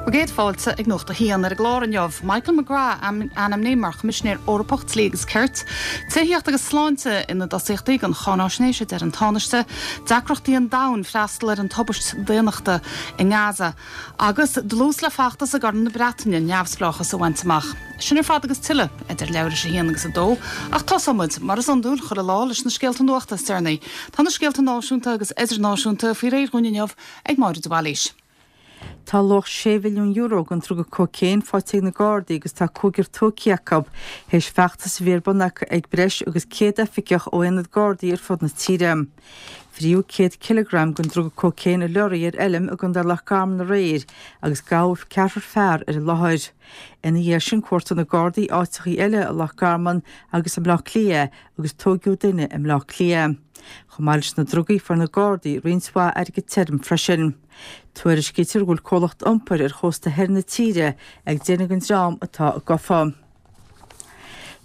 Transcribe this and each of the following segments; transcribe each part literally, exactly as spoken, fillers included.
Céad fáilte ag Nuacht a hAon ar an gclár inniu. Michael McGrath ainmnithe mar Choimisinéir Eorpach Dlí agus Cirt, Tithíocht agus Sláinte ina dtosaíochtaí don cháinaisnéis a deir an Tánaiste, deacrachtaí an domhain freastal ar an tubaist daonnachta i nGaza, agus dlús le feachtas i gCorn na Breataine neamhspleáchas a bhaint amach. Sin ar fad agus tuilleadh idir leathuair tar éis a haon agus a dó, ach tosóimid mar is iondúil chuile lá leis na scéalta nuachta is deireanaí. Tá na scéalta náisiúnta agus idirnáisiúnta faoi réir dhúinn inniu ag Máire de Bhailís. Tá luach sé mhilliún euro den druga cócaon faighte ag na Gardaí agus tá cúigear tógtha acu théis feachtas a bhí ar bun acu ag breis agus céad oifigeach ó aonad Gardaí ar fud na tíre. Fríodh céad cileagram den druga cócaon i leoraí ar fheilm i gContae Loch Garman aréir agus gabhadh ceathrar fear ar an láthair. Ina dhiaidh sin cuartaigh na Gardaí áiteachaí eile i Loch Garman agus i mBleá Cliath agus tógadh duine i mBleá Cliath. Chomh maith leis na drugaí fuair na Gardaí roinnt mhaith airgead tirim freisin. Tuairiscítear go bhfuil comhlacht iompair ar chósta thoir na tíre ag déanamh den dream atá gafa.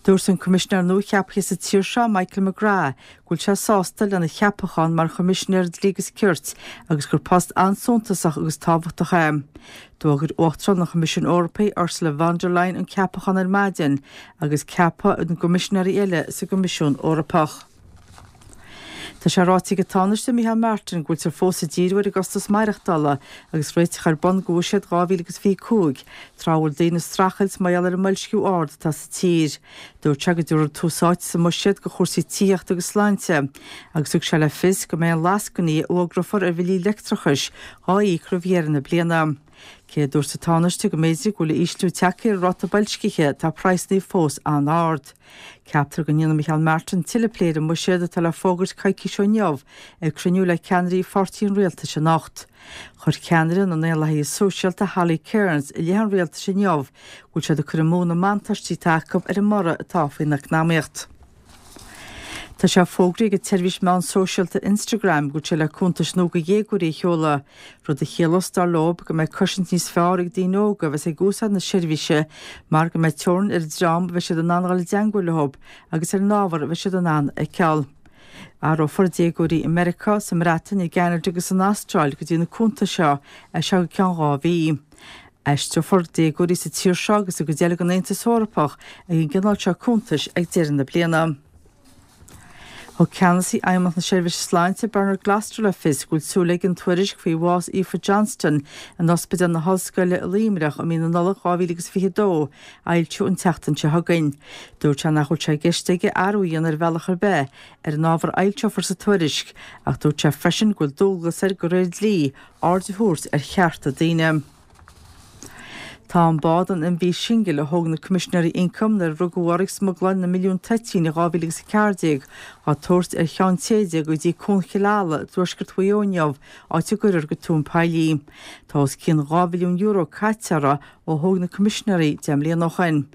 Dúirt an Coimisinéir nua-cheaptha sa tír seo Michael McGrath go bhfuil sé sásta lena cheapachán mar Choimisinéir Dlí agus Cirt agus gur post an-suntasach agus tábhachtach é. D'fhógair Uachtarán an Choimisiúin Eorpaigh Ursula von der Leyen an ceapachán ar maidin agus ceapadh na gcoimisinéirí eile sa gCoimisiún Eorpach. Tá sé ráite ag an Tánaiste Micheál Martin go bhfuiltear fós ag díriú ar an gcostas maireachtála agus réiteach ar bun do bhuiséad dhá mhíle agus fiche cúig, tráth a bhfuil daoine ag streachailt mar gheall ar an mboilsciú ard atá sa tír. Dúirt sé go dtabharfar tús áite sa mbuiséad do chúrsaí tithíochta agus sláinte, agus thug sé le fios go mbeidh an lascainí a fhógrófar ar bhillí leictreachais á íoc roimh dheireadh na bliana. Cé a dúirt an Tánaiste go mb'fhéidir go bhfuil ísliú tagtha ar ráta boilscithe tá praghsanna fós an-ard. Ceaptar go ndéanfaidh Micheál Martin tuilleadh plé ar an mbuiséad atá le fógairt coicís ó inniu ag cruinniú le ceannairí pháirtí an rialtais anocht. Chuir ceannaire na nDaonlathaithe Sóisialta Holly Cairns i leith an rialtais inniu go bhfuil siad ag cur amú na mbuntáistí atá acu ar an mborradh atá faoin eacnamaíocht. Tá sé fógraithe ag an tseirbhís meán sóisialta Instagram go bhfuil sé le cuntais nua do dhéagóirí a sheoladh, rud a chiallós dar leo go mbeidh cosaint níos fearr ag daoine óga a bheas ag úsáid na seirbhíse mar go mbeidh teorainn ar an dream a bheidh siad in ann dul i dteagmháil leo agus ar an ábhar a bheidh siad in ann a fheiceáil. Áireofar déagóirí i Meiriceá, sa mBreatain, i gCeanada agus san Astráil go dtí na cuntais seo as seo go ceann dhá mhí. Aistreofar déagóirí sa tír seo agus i gcuid eile den Aontas Eorpach ag an gcineál seo cuntais ag deireadh na bliana. Thug ceannasaí Fheidhmeannacht na Seirbhíse Sláinte Bernard Gloster le fios go bhfuil súil aige an tuairisc faoi bhás Aoife Johnston in Ospidéal na hOllscoile i Luimneach i mí na Nollag dhá mhíle agus fiche dó a fhoilsiú an tseachtain seo chugainn. Dúirt sé nach bhfuil sé i gceist aige athrú a dhéanamh ar bhealach ar bith ar an ábhar a fhoilseofar sa tuairisc ach dúirt sé freisin go bhfuil dualgas air de réir dlí aird a thabhairt ar chearta daoine. Tá an bád an MV Shingle a thóg na Coimisinéirí Ioncaim nuair a rugadh orthu ag smugláil na milliún toitín i dhá mhíle agus a ceathair déag á tabhairt ar Cheann Téide go dtí Cuan Chill Ala i dtuaisceart Mhaigh Eo inniu, áit a gcuirfear go tóin poill í. Tá os cionn dhá mhilliún euro caite uirthi ó thóg na Coimisinéirí deich mbliana ó shin.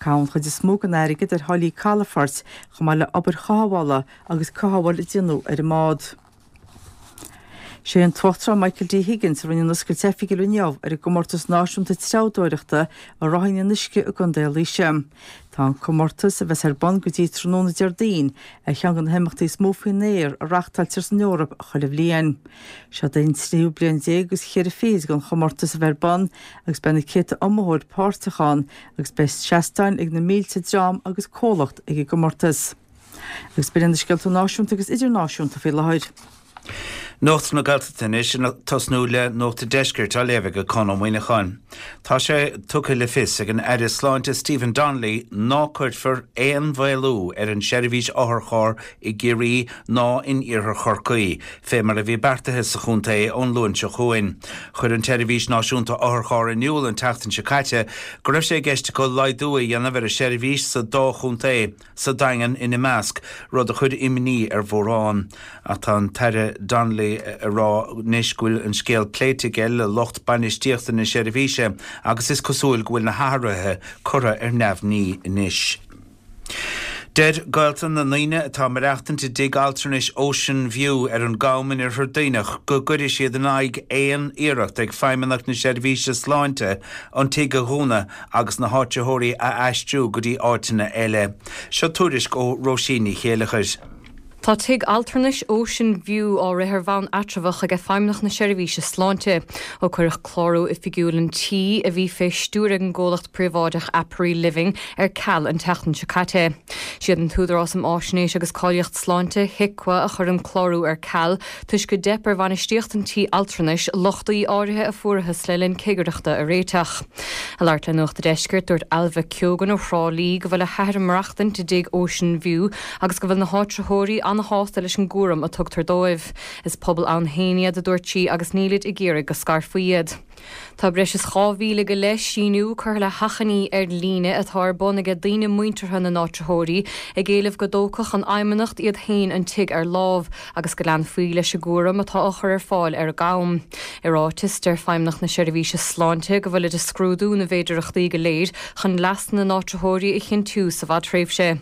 Caitheadh an chuid is mó den airgead ar tháillí calafoirt chomh maith le obair chothabhála agus cothabháil a déanadh ar an mbád. Sé an tUachtarán Michael D. Higgins a rinne an oscailt oifigiúil inniu ar an gcomórtas náisiúnta treabhdóireachta i rothaí in uisce i gContae Laoise. Tá an comórtas, a bheas ar bun go dtí tráthnóna Déardaoin, ar cheann de na himeachtaí is mó faoin aer a reáchtáiltear san Eoraip chuile bhliain. Seo é an tríú bliain déag agus cheithre fichid don chomórtas a bheith ar bun agus beidh na céadta iomaitheoir páirteach ann agus beidh seastáin ag na mílte dream agus comhlacht ag an gcomórtas. Agus b'in iad na scéalta náisiúnta agus idirnáisiúnta faoi láthair. Nuacht na Gaeltachta anois, ag tosnú le Nuacht an Deiscirt á léamh ag Conn Ó Muíneacháin. Tá sé tugtha le fios ag an Aire Sláinte Stephen Donnelly ná cuirfear aon mhaolú ar an seirbhís otharcharr i gCiarraí ná in Iarthar Chorcaí, fé mar a bhí beartaithe sa chontae ón Luan seo chugainn. Chuir an tSeirbhís Náisiúnta Otharcharr in iúl an tseachtain seo caite go raibh sé i gceist acu laghdú a dhéanamh ar an seirbhís sa dá chontae, sa Daingean ina measc, rud a chuir imní ar mhórán. Ach tá an tAire Donnelly ag rá anois go bhfuil an scéal pléite aige le lucht bainistíochta na seirbhíse agus is cosúil go bhfuil na hathruithe curtha ar neamhní anois. Deir gaolta na ndaoine atá ag maireachtaint i dtigh altranais Ocean View ar an gCam in Oirthear Duibhneach go gcuirfidh siad in aghaidh aon iarracht ag Feidhmeannacht na Seirbhíse Sláinte an tigh a dhúnadh agus na háitritheoirí a aistriú go dtí áiteanna eile. Seo tuairisc ó Róisín Ní Chéileachair. Tá tigh altranais Ocean View á rith ar bhonn eatramhach ag Feidhmeannacht na Seirbhíse Sláinte. Ó cuireadh clárú oifigiúil an tí a bhí fé stiúir ag an gcomhlacht príobháideach Apri Living ar ceal an tseachtain seo caite. Siad an tÚdarás um Fhaisnéis agus Cáilíocht Sláinte HIQA a chuir an clárú ar ceal toisc gur theip ar bhainistíocht an tí altranais lochtaí áirithe a fuarthas le linn cigireachta a réiteach. Ag labhairt le Nuacht an Deiscirt dúirt Ailbhe Keogan ó Thrá Lí go bhfuil a hathair ag maireachtaint i dtigh Ocean View agus go bhfuil na háitritheoirí an-shásta leis an gcúram a tugtar dóibh. Is pobal ann féin iad a dúirt sí agus nílid ag iarraidh go scarfaí iad. Tá breis is dhá mhíle go leith síniú curtha le hachainí ar líne atá ar bun ag daoine muinteartha na n-áitritheoirí ag éileamh go dtógfadh an Fheidhmeannacht iad féin an tigh ar lámh agus go leanfaí leis an gcúram atá á chur ar fáil ar an gCam. I ráiteas deir Feidhmeannacht na Seirbhíse Sláinte go bhfuilid ag scrúdú na bhféidearthachtaí go léir chun leas na n-áitritheoirí a chinntiú sa bhfadtréimhse.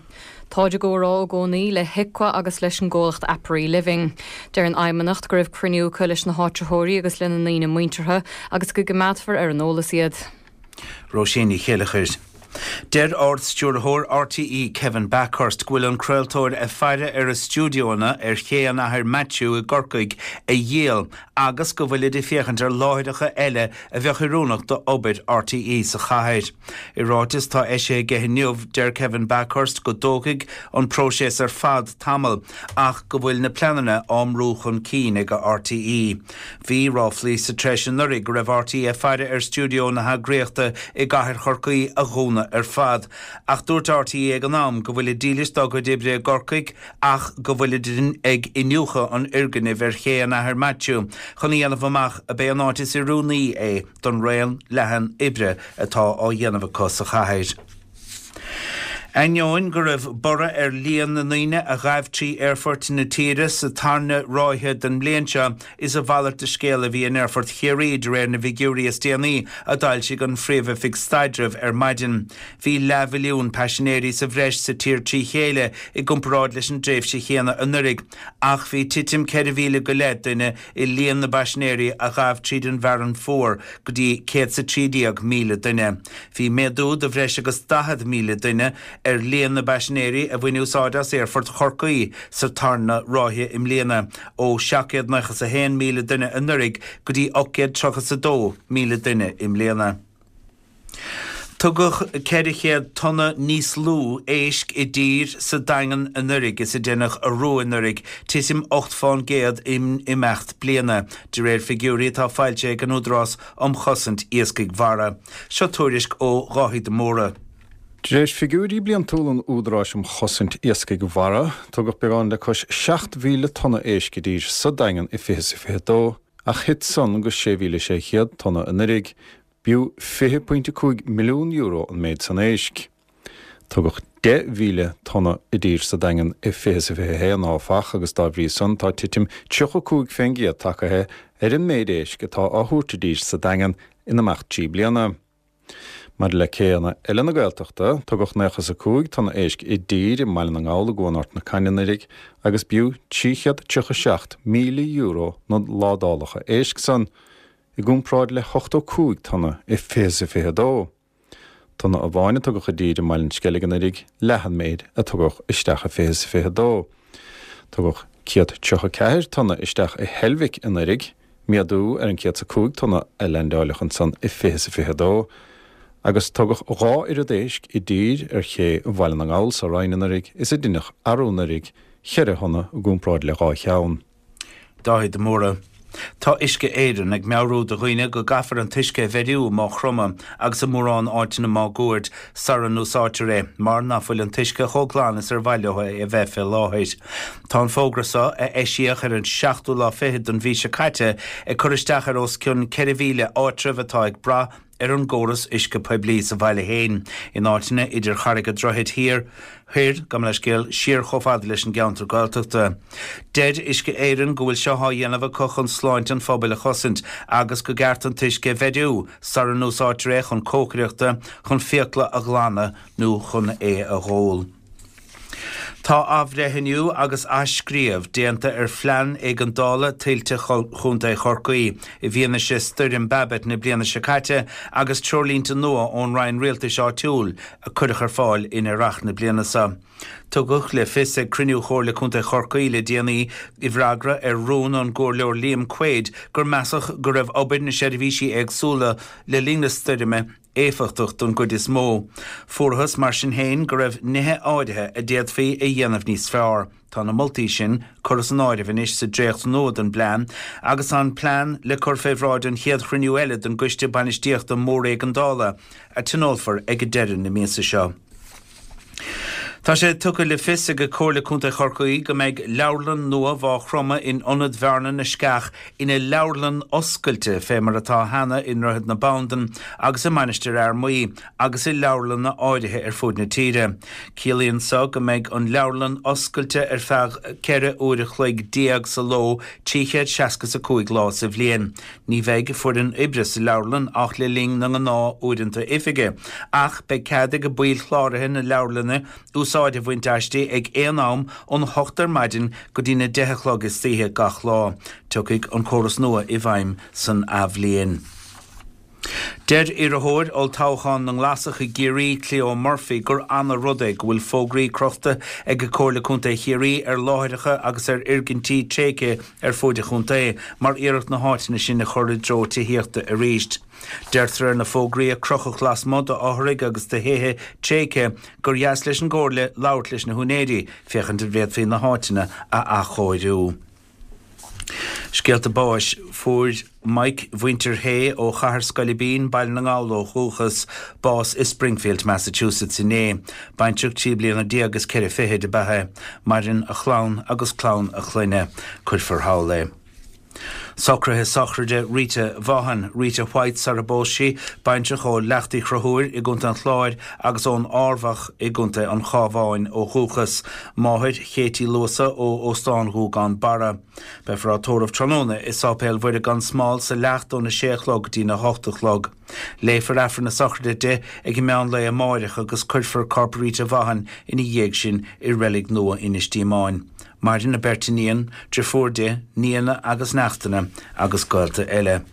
Táid i gcomhrá i gcónaí le HIQA agus leis an gcomhlacht Apri Living. Deir an Fheidhmeannacht go raibh cruinniú acu leis na háitritheoirí agus lena ndaoine muinteartha agus go gcoimeádfar ar an eolas iad. Róisín Ní Chéilleachair. Deir Ard-Stiúrthóir RTÉ Kevin Bakhurst go bhfuil an craoltóir ag faire ar a stiúideonna ar Ché an Athar Maitiú i gCorcaigh a dhíol agus go bhfuilid ag féachaint ar láithreacha eile a bheadh oiriúnach d'obair RTÉ sa chathair. I ráiteas atá eisithe aige inniu deir Kevin Bakhurst go dtógfaidh an próiseas ar fad tamall ach go bhfuil na pleananna á mbrú chun cinn ag RTÉ. Bhí ráflaí sa treis anuraidh go raibh RTÉ ag faire ar stiúideo na heagraíochta i gcathair Chorcaí a dhúnadh ar fad, ach dúirt RTÉ ag an am go bhfuilid dílis dá gcuid oibre i gCorcaigh ach go bhfuilid ag iniúchadh an fhoirgnimh ar Ché an Athar Maitiú chun a dhéanamh amach ab é an áit is oiriúnaí é don raon leathan oibre atá á dhéanamh acu sa chathair. Ainneoin go raibh borradh ar líon na ndaoine a ghabh trí aerfoirt na tíre sa tarna ráithe den mbliain seo, is a mhalairt de scéal a bhí in Aerfort Chiarraí de réir na bhfigiúirí is déanaí a d'fhoilsigh an Phríomh-Oifig Staidrimh ar maidin. Bhí leathmhilliún paisinéirí sa bhreis sa tír trí chéile i gcomparáid leis an dtréimhse chéanna anuraidh, ach bhí titim ceithre mhíle go leith duine i líon na bpaisinéirí a ghabh tríd an bhFearann Fuar go dtí céad 's a trí déag míle duine. Bhí méadú de bhreis agus daichead míle duine ar líon na bpaisinéirí a bhain úsáid as Aerfort Chorcaí sa tarna ráithe i mbliana, ó seacht gcéad nócha 's a haon míle duine anuraidh go dtí ocht gcéad tríocha 's a dó míle duine i mbliana. Tugadh ceithre chéad tonna níos lú éisc i dtír sa Daingean anuraidh is a deineadh arú anuraidh, titim ocht fán gcéad in imeacht bliana, de réir figiúirí atá foilsithe ag an Údarás um Chosaint Iascaigh Mhara. Seo tuairisc ó Dháithí de Mórdha. De réir figiúirí bliantúla an Údaráis um Chosaint Iascaigh Mhara, tugadh beagán le cois seacht mhíle tonna éisc i dtír sa Daingean i fiche 's a fiche dó, ach thit san go sé mhíle sé chéad tonna anuraidh. B'fhiú fiche pointe cúig milliún euro an méid san éisc. Tugadh deich mhíle tonna i dtír sa Daingean i fiche 's a fiche haon, áfach, agus dá bhrí san tá titim tríocha cúig fén gcéad tagtha ar an méid éisc atá á thabhairt i dtír sa Daingean in imeacht trí bliana. Maidir le céanna eile na Gaeltachta, tugadh nócha 's a cúig tonna éisc i dtír i mBaile na nGall i gCuan Ard na Cainne anuraidh agus b'fhiú trí chéad tríocha seacht míle euro na ládálacha éisc san, i gcomparáid le hochtó cúig tonna i fiche 's a fiche dó. Tonna amháin a tugadh i dtír i mBaile an Sceilg anuraidh, leath an méid a tugadh isteach i fiche 's a fiche dó. Tugadh céad tríocha ceathair tonna isteach i Heilbhic anuraidh, méadú ar an céad 's a cúig tonna a leaindeáileadh ansan i fiche 's a fiche dó, agus tugadh dhá oiread éisc i dtír ar ché Bhaile na nGall sa Rinn anuraidh is a deineadh arú anuraidh, cheithre thonna i gcomparáid le dhá cheann. Dáithí de Mórdha. Tá Uisce Éireann ag meabhrú do dhaoine go gcaithfear an t-uisce a bheiriú i Maigh Chromtha agus i mórán áiteanna máguaird sara n-úsáidtear é mar ná fuil an t-uisce chomh glan is ar mhaith leo é a bheith fé láthair. Tá an fógra seo, a eisíodh ar an seachtú lá fichead den mhí seo caite, ag cur isteach ar os cionn ceithre mhíle áitreabh atá ag brath ar an gcóras uisce poiblí sa bhaile féin, in áiteanna idir Charraig an Droichid Thiar, Thoir, gabh mo leithscéal, siar chomh fada leis an gceantar Gaeltachta. Deir Uisce Éireann go bhfuil seo á dhéanamh acu chun sláinte an phobail a chosaint agus go gceart an t-uisce a bheiriú sara n-úsáidtear é chun cócaireachta, chun fiacla a ghlanadh nó chun é a dh'ól. Tá athbhreithniú agus athscríobh déanta ar phlean éigeandála tuilte Chontae Chorcaí i bhfianaise stoirm Babet na bliana seo caite agus treoirlínte nua ón Roinn Rialtais Áitiúil a cuireadh ar fáil in earrach na bliana seo. Tugadh le fios ag cruinniú Chomhairle Contae Chorcaí le déanaí i bhfreagra ar rún ón gComhairleoir Liam Quaid gur measadh go raibh obair na seirbhísí éagsúla le linn na stoirme éifeachtach don gcuid is mó. Fuarthas mar sin féin go raibh nithe áirithe a d'fhéadfaí a dhéanamh níos fearr. Tá na moltaí sin curtha san áireamh anois sa dréacht nua den bplean agus an plean le cur fé bhráid an chéad chruinniú eile den gCoiste Bainistíochta Móréigeandála a tionólfar ag deireadh na míosa seo. Tá sé tugtha le fios ag Comhairle Contae Chorcaí go mbeidh leabharlann nua Mhaigh Chromtha in Ionad Bhearna na Sceach ina leabharlann oscailte fé mar atá cheana i nDroichead na Bandan agus i Mainistir Fhear Maí agus i leabharlanna áirithe ar fud na tíre. Ciallaíonn so go mbeidh an leabharlann oscailte ar feadh ceithre uair a chloig déag sa ló trí chéad seasca is a cúig lá sa bhliain. Ní bheidh foireann oibre sa leabharlann ach le linn na ngnáth-uaireanta oifige, ach beidh cead ag baill chláraithe na leabharlainne úsáid a bhaint aisti ag aon am ón hocht ar maidin go dtí na deich a chlog istoíche gach lá. Tiocfaidh an córas nua i bhfeidhm san athbhliain. Deir iarrthóir olltoghcháin na nGlasach i gCiarraí, Cleo Murphy, gur ana-rud é go bhfuil fógraí crochta ag Comhairle Contae Chiarraí ar láithreacha agus ar fhoirgintí tréigthe ar fuaid an chontae mar iarracht na háiteanna sin a chur i dtreo tithíochta arís. Deirtear ar na fógraí a crochadh lasmuigh d'fhothraigh agus de thithe tréigthe gur dheas leis an gComhairle labhairt leis na húinéirí féachaint an bhféadfaí na háiteanna a athchóiriú. Scéalta báis, Fuair Mike mhuintir Hay ó Chathair Scoilbín, Baile na nGall ó dhúchas, bás i Springfield, Massachusetts inné. Baintreach trí bliana déag is ceithre fichid ab ea é. Maireann a chlann agus clann a chlainne. Cuirfear thall é. Socruithe sochraide Rita Vaughan, Rita White sar a bpós sí, baintreach ó Leacht Uí Chonchúir i gContae an Chláir agus ón Arbhach i gContae an Chabháin ó dhúchas, máthair Chéití Luasa ó Óstán Ghúgán Barra. Beifear á tórramh tráthnóna i Sáipéal Mhuire gan Smál sa Leacht óna sé a chlog go dtína hocht a chlog. Léifear Aifreann na sochraide di ag an meán lae amáireach agus cuirfear corp Rita Vaughan ina dhiaidh sin i reilig nua Inis Díomáin. Maireann a beirt iníon, deirfiúr di, nianna agus neachtanna agus gaolta eile.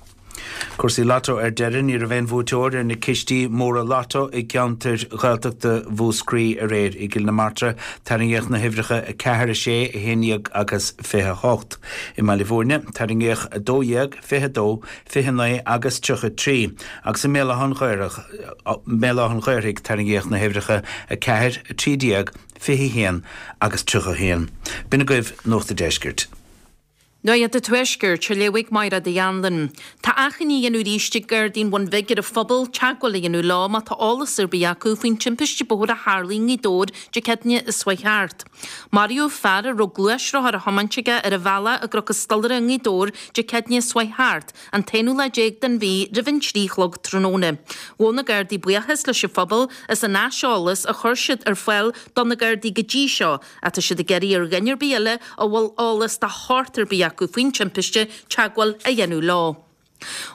Cúrsaí Lotto ar deireadh, ní raibh aon bhuaiteoir ar na cistí móra Lotto i gceantair Ghaeltachta Mhúscraí aréir. I gCill na Martra, tarraingíodh na huimhreacha a ceathair, a sé, a haon déag agus fiche a hocht. I mBaile Bhúirne, tarraingíodh a dó dhéag, fiche a dó, fiche a naoi agus tríocha a trí agus i mBéal Átha an Ghaorthaidh, tarraingíodh na huimhreacha a ceathair, a trí déag, fiche a haon agus tríocha a haon. B'in agaibh Nuacht an Deiscirt. Nuacht an Tuaiscirt, á léamh ag Máire Uí Anluain. Tá achainí á dhéanamh arís ag Gardaí an Bhun Bhig ar an phobal teagmháil a dhéanamh leo má tá eolas ar bith acu faoin timpiste bóthair a tharlaigh i nGaoth Dobhair Dé Céadaoine a chuaigh thart. Maraíodh fear a raibh gluaisrothar á thiomáint aige ar an bhealach i gCnoc an Stolaire i nGaoth Dobhair Dé Céadaoine a chuaigh thart, an t-aonú lá déag den mhí roimh an trí a chlog tráthnóna. Ghabh na Gardaí buíochas leis an phobal as an aiseolas a chuir siad ar fáil do na Gardaí go dtí seo ach tá siad ag iarraidh ar dhuine ar bith eile a bhfuil eolas de shórt ar bith acu faoin timpiste teagmháil a dhéanamh leo.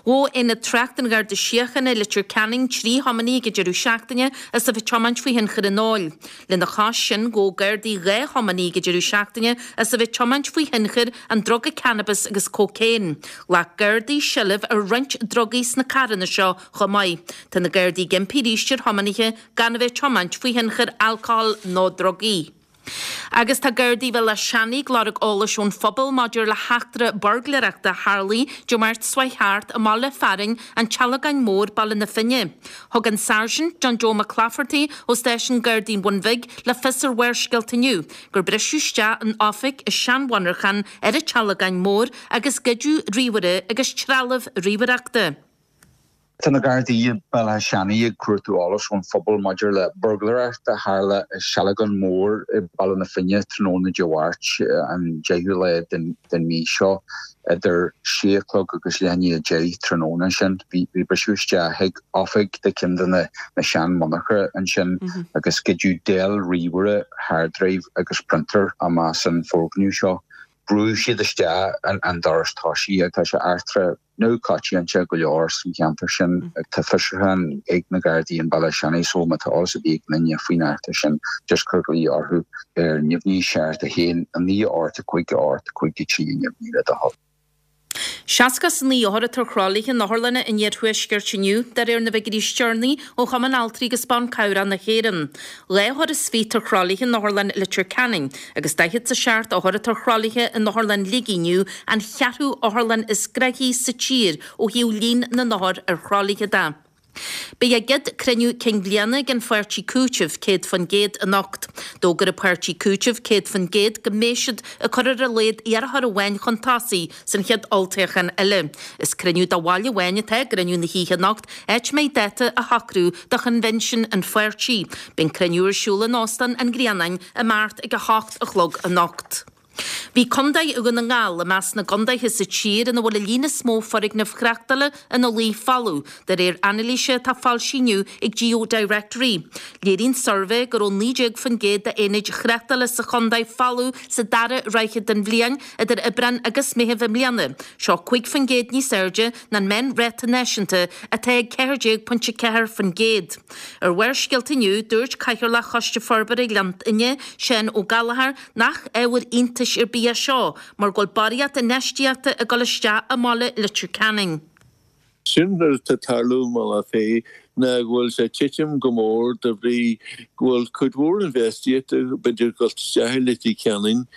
Ghabh Aonad Tráchta an Gharda Síochána i Leitir Ceanainn trí thiománaí ag an deireadh seachtaine as a bheith ag tiomáint faoi thionchar an óil. Lena chois sin, ghabh Gardaí dhá thiománaí ag an deireadh seachtaine as a bheith ag tiomáint faoi thionchar an druga cannabis agus cócaon. Ghlac Gardaí seilbh ar roinnt drugaí sna carranna seo chomh maith. Tá na Gardaí ag impí arís ar thiománaithe gan a bheith ag tiomáint faoi thionchar alcóil nó drugaí. Agus tá Gardaí Bhéal Átha Seanaidh ag lorg eolais ón phobal maidir le heachtra buirgléireachta a tharlaigh Dé Máirt seo chuaigh thart i mbaile fearainn an tSealgáin Mhóir, Baile na Finne. Thug an Sáirsint John Joe McClafferty ó Stáisiún Gardaí an Bhun Bhig le fios ar Bharrscéalta inniu gur briseadh isteach in oifig i seanmhonarchan ar an tSealgáin Mhór agus goideadh ríomhaire agus trealamh ríomhaireachta. Tá na Gardaí i Béal Átha Seanaidh ag cuartú eolais ón phobal maidir le buirgléireacht a tharla i Sealgán Mór i Baile na Finne tráthnóna Dé Máirt, an deichiú lá den mhí seo, idir sé a chlog agus leath i ndiaidh a deich tráthnóna ansin. Bhí briseadh isteach chuig oifig de cheann de na seanmhonarcha ansin agus goideadh Dell ríomhaire, hard drive agus printer amach as an foirgneamh seo. Brúigh siad isteach an doras tosaigh tá sé eachtra neamhchoitianta go leor san cheantar sin. Tá fiosrúchán ag na Gardaí in Béal Átha Seanaidh so má tá eolas ar bith ag duine faoin eachtra sin just cuir glao orthu ar neamhní seacht a haon a naoi ocht a cúig ocht cúig a trí neamhní le do thoil. Seasca is a naoi othar atá ar thralaithe in otharlanna an iarthuaiscirt inniu, de réir na bhfigiúirí is deireanaí ó Chumann Altraí agus Ban Cabhrach na hÉireann. Dhá othar is fiche atá ar thralaithe in Otharlann Leitir Ceanainn agus daichead is a seacht othar atá ar thralaithe in Otharlann Shligigh inniu, an cheathrú otharlann is gnoithí sa tír ó thaobh líon na n-othar ar thralaithe de. Beidh a gcéad cruinniú cinn bhliana ag an pháirtí Cúiteamh céad faoin gcéad anocht. D'fhógair an páirtí Cúiteamh céad faoin gcéad go mbeidh siad ag cur ar a laghad iarrthóir amháin chun tosaigh san chéad olltoghchán eile. Is cruinniú do bhaill amháin atá i gcruinniú na hoíche anocht, áit a mbeidh dáta á shocrú do choinbhinsiún an pháirtí. Beidh an cruinniú ar siúl in Óstán an Ghrianáin amárach ag a hocht a chlog anocht. Bhí Contae Dhún na nGall i measc na gcontaetha sa tír ina bhfuil an líon is mó foirgneamh thráchtála ina luí folamh, de réir anailíse atá foilsithe inniu ag GeoDirectory. Léiríonn suirbhé go raibh naoi déag faoin gcéad d'aonaid thráchtála sa chontae folamh sa dara ráithe den bhliain, idir Aibreán agus Meitheamh i mbliana. Seo cúig faoin gcéad níos airde ná an meánráta náisiúnta atá ag ceathair déag pointe ceathair faoin gcéad. Ar Bharrscéalta inniu, dúirt Cathaoirleach Choiste Forbartha Ghleann Fhinne, Seán Ó Gallchóir, nach ábhar iontais ar bith é seo mar go bhfuil barraíocht infheistíochta ag dul isteach i mbaile Leitir Ceanainn. Sin rud atá ag tarlú i mBealach Féich ná go bhfuil sé ag titim go mór de bhrí go bhfuil cuid mhór infheistíochta b'fhéidir ag dul isteach i Leitir Ceanainn.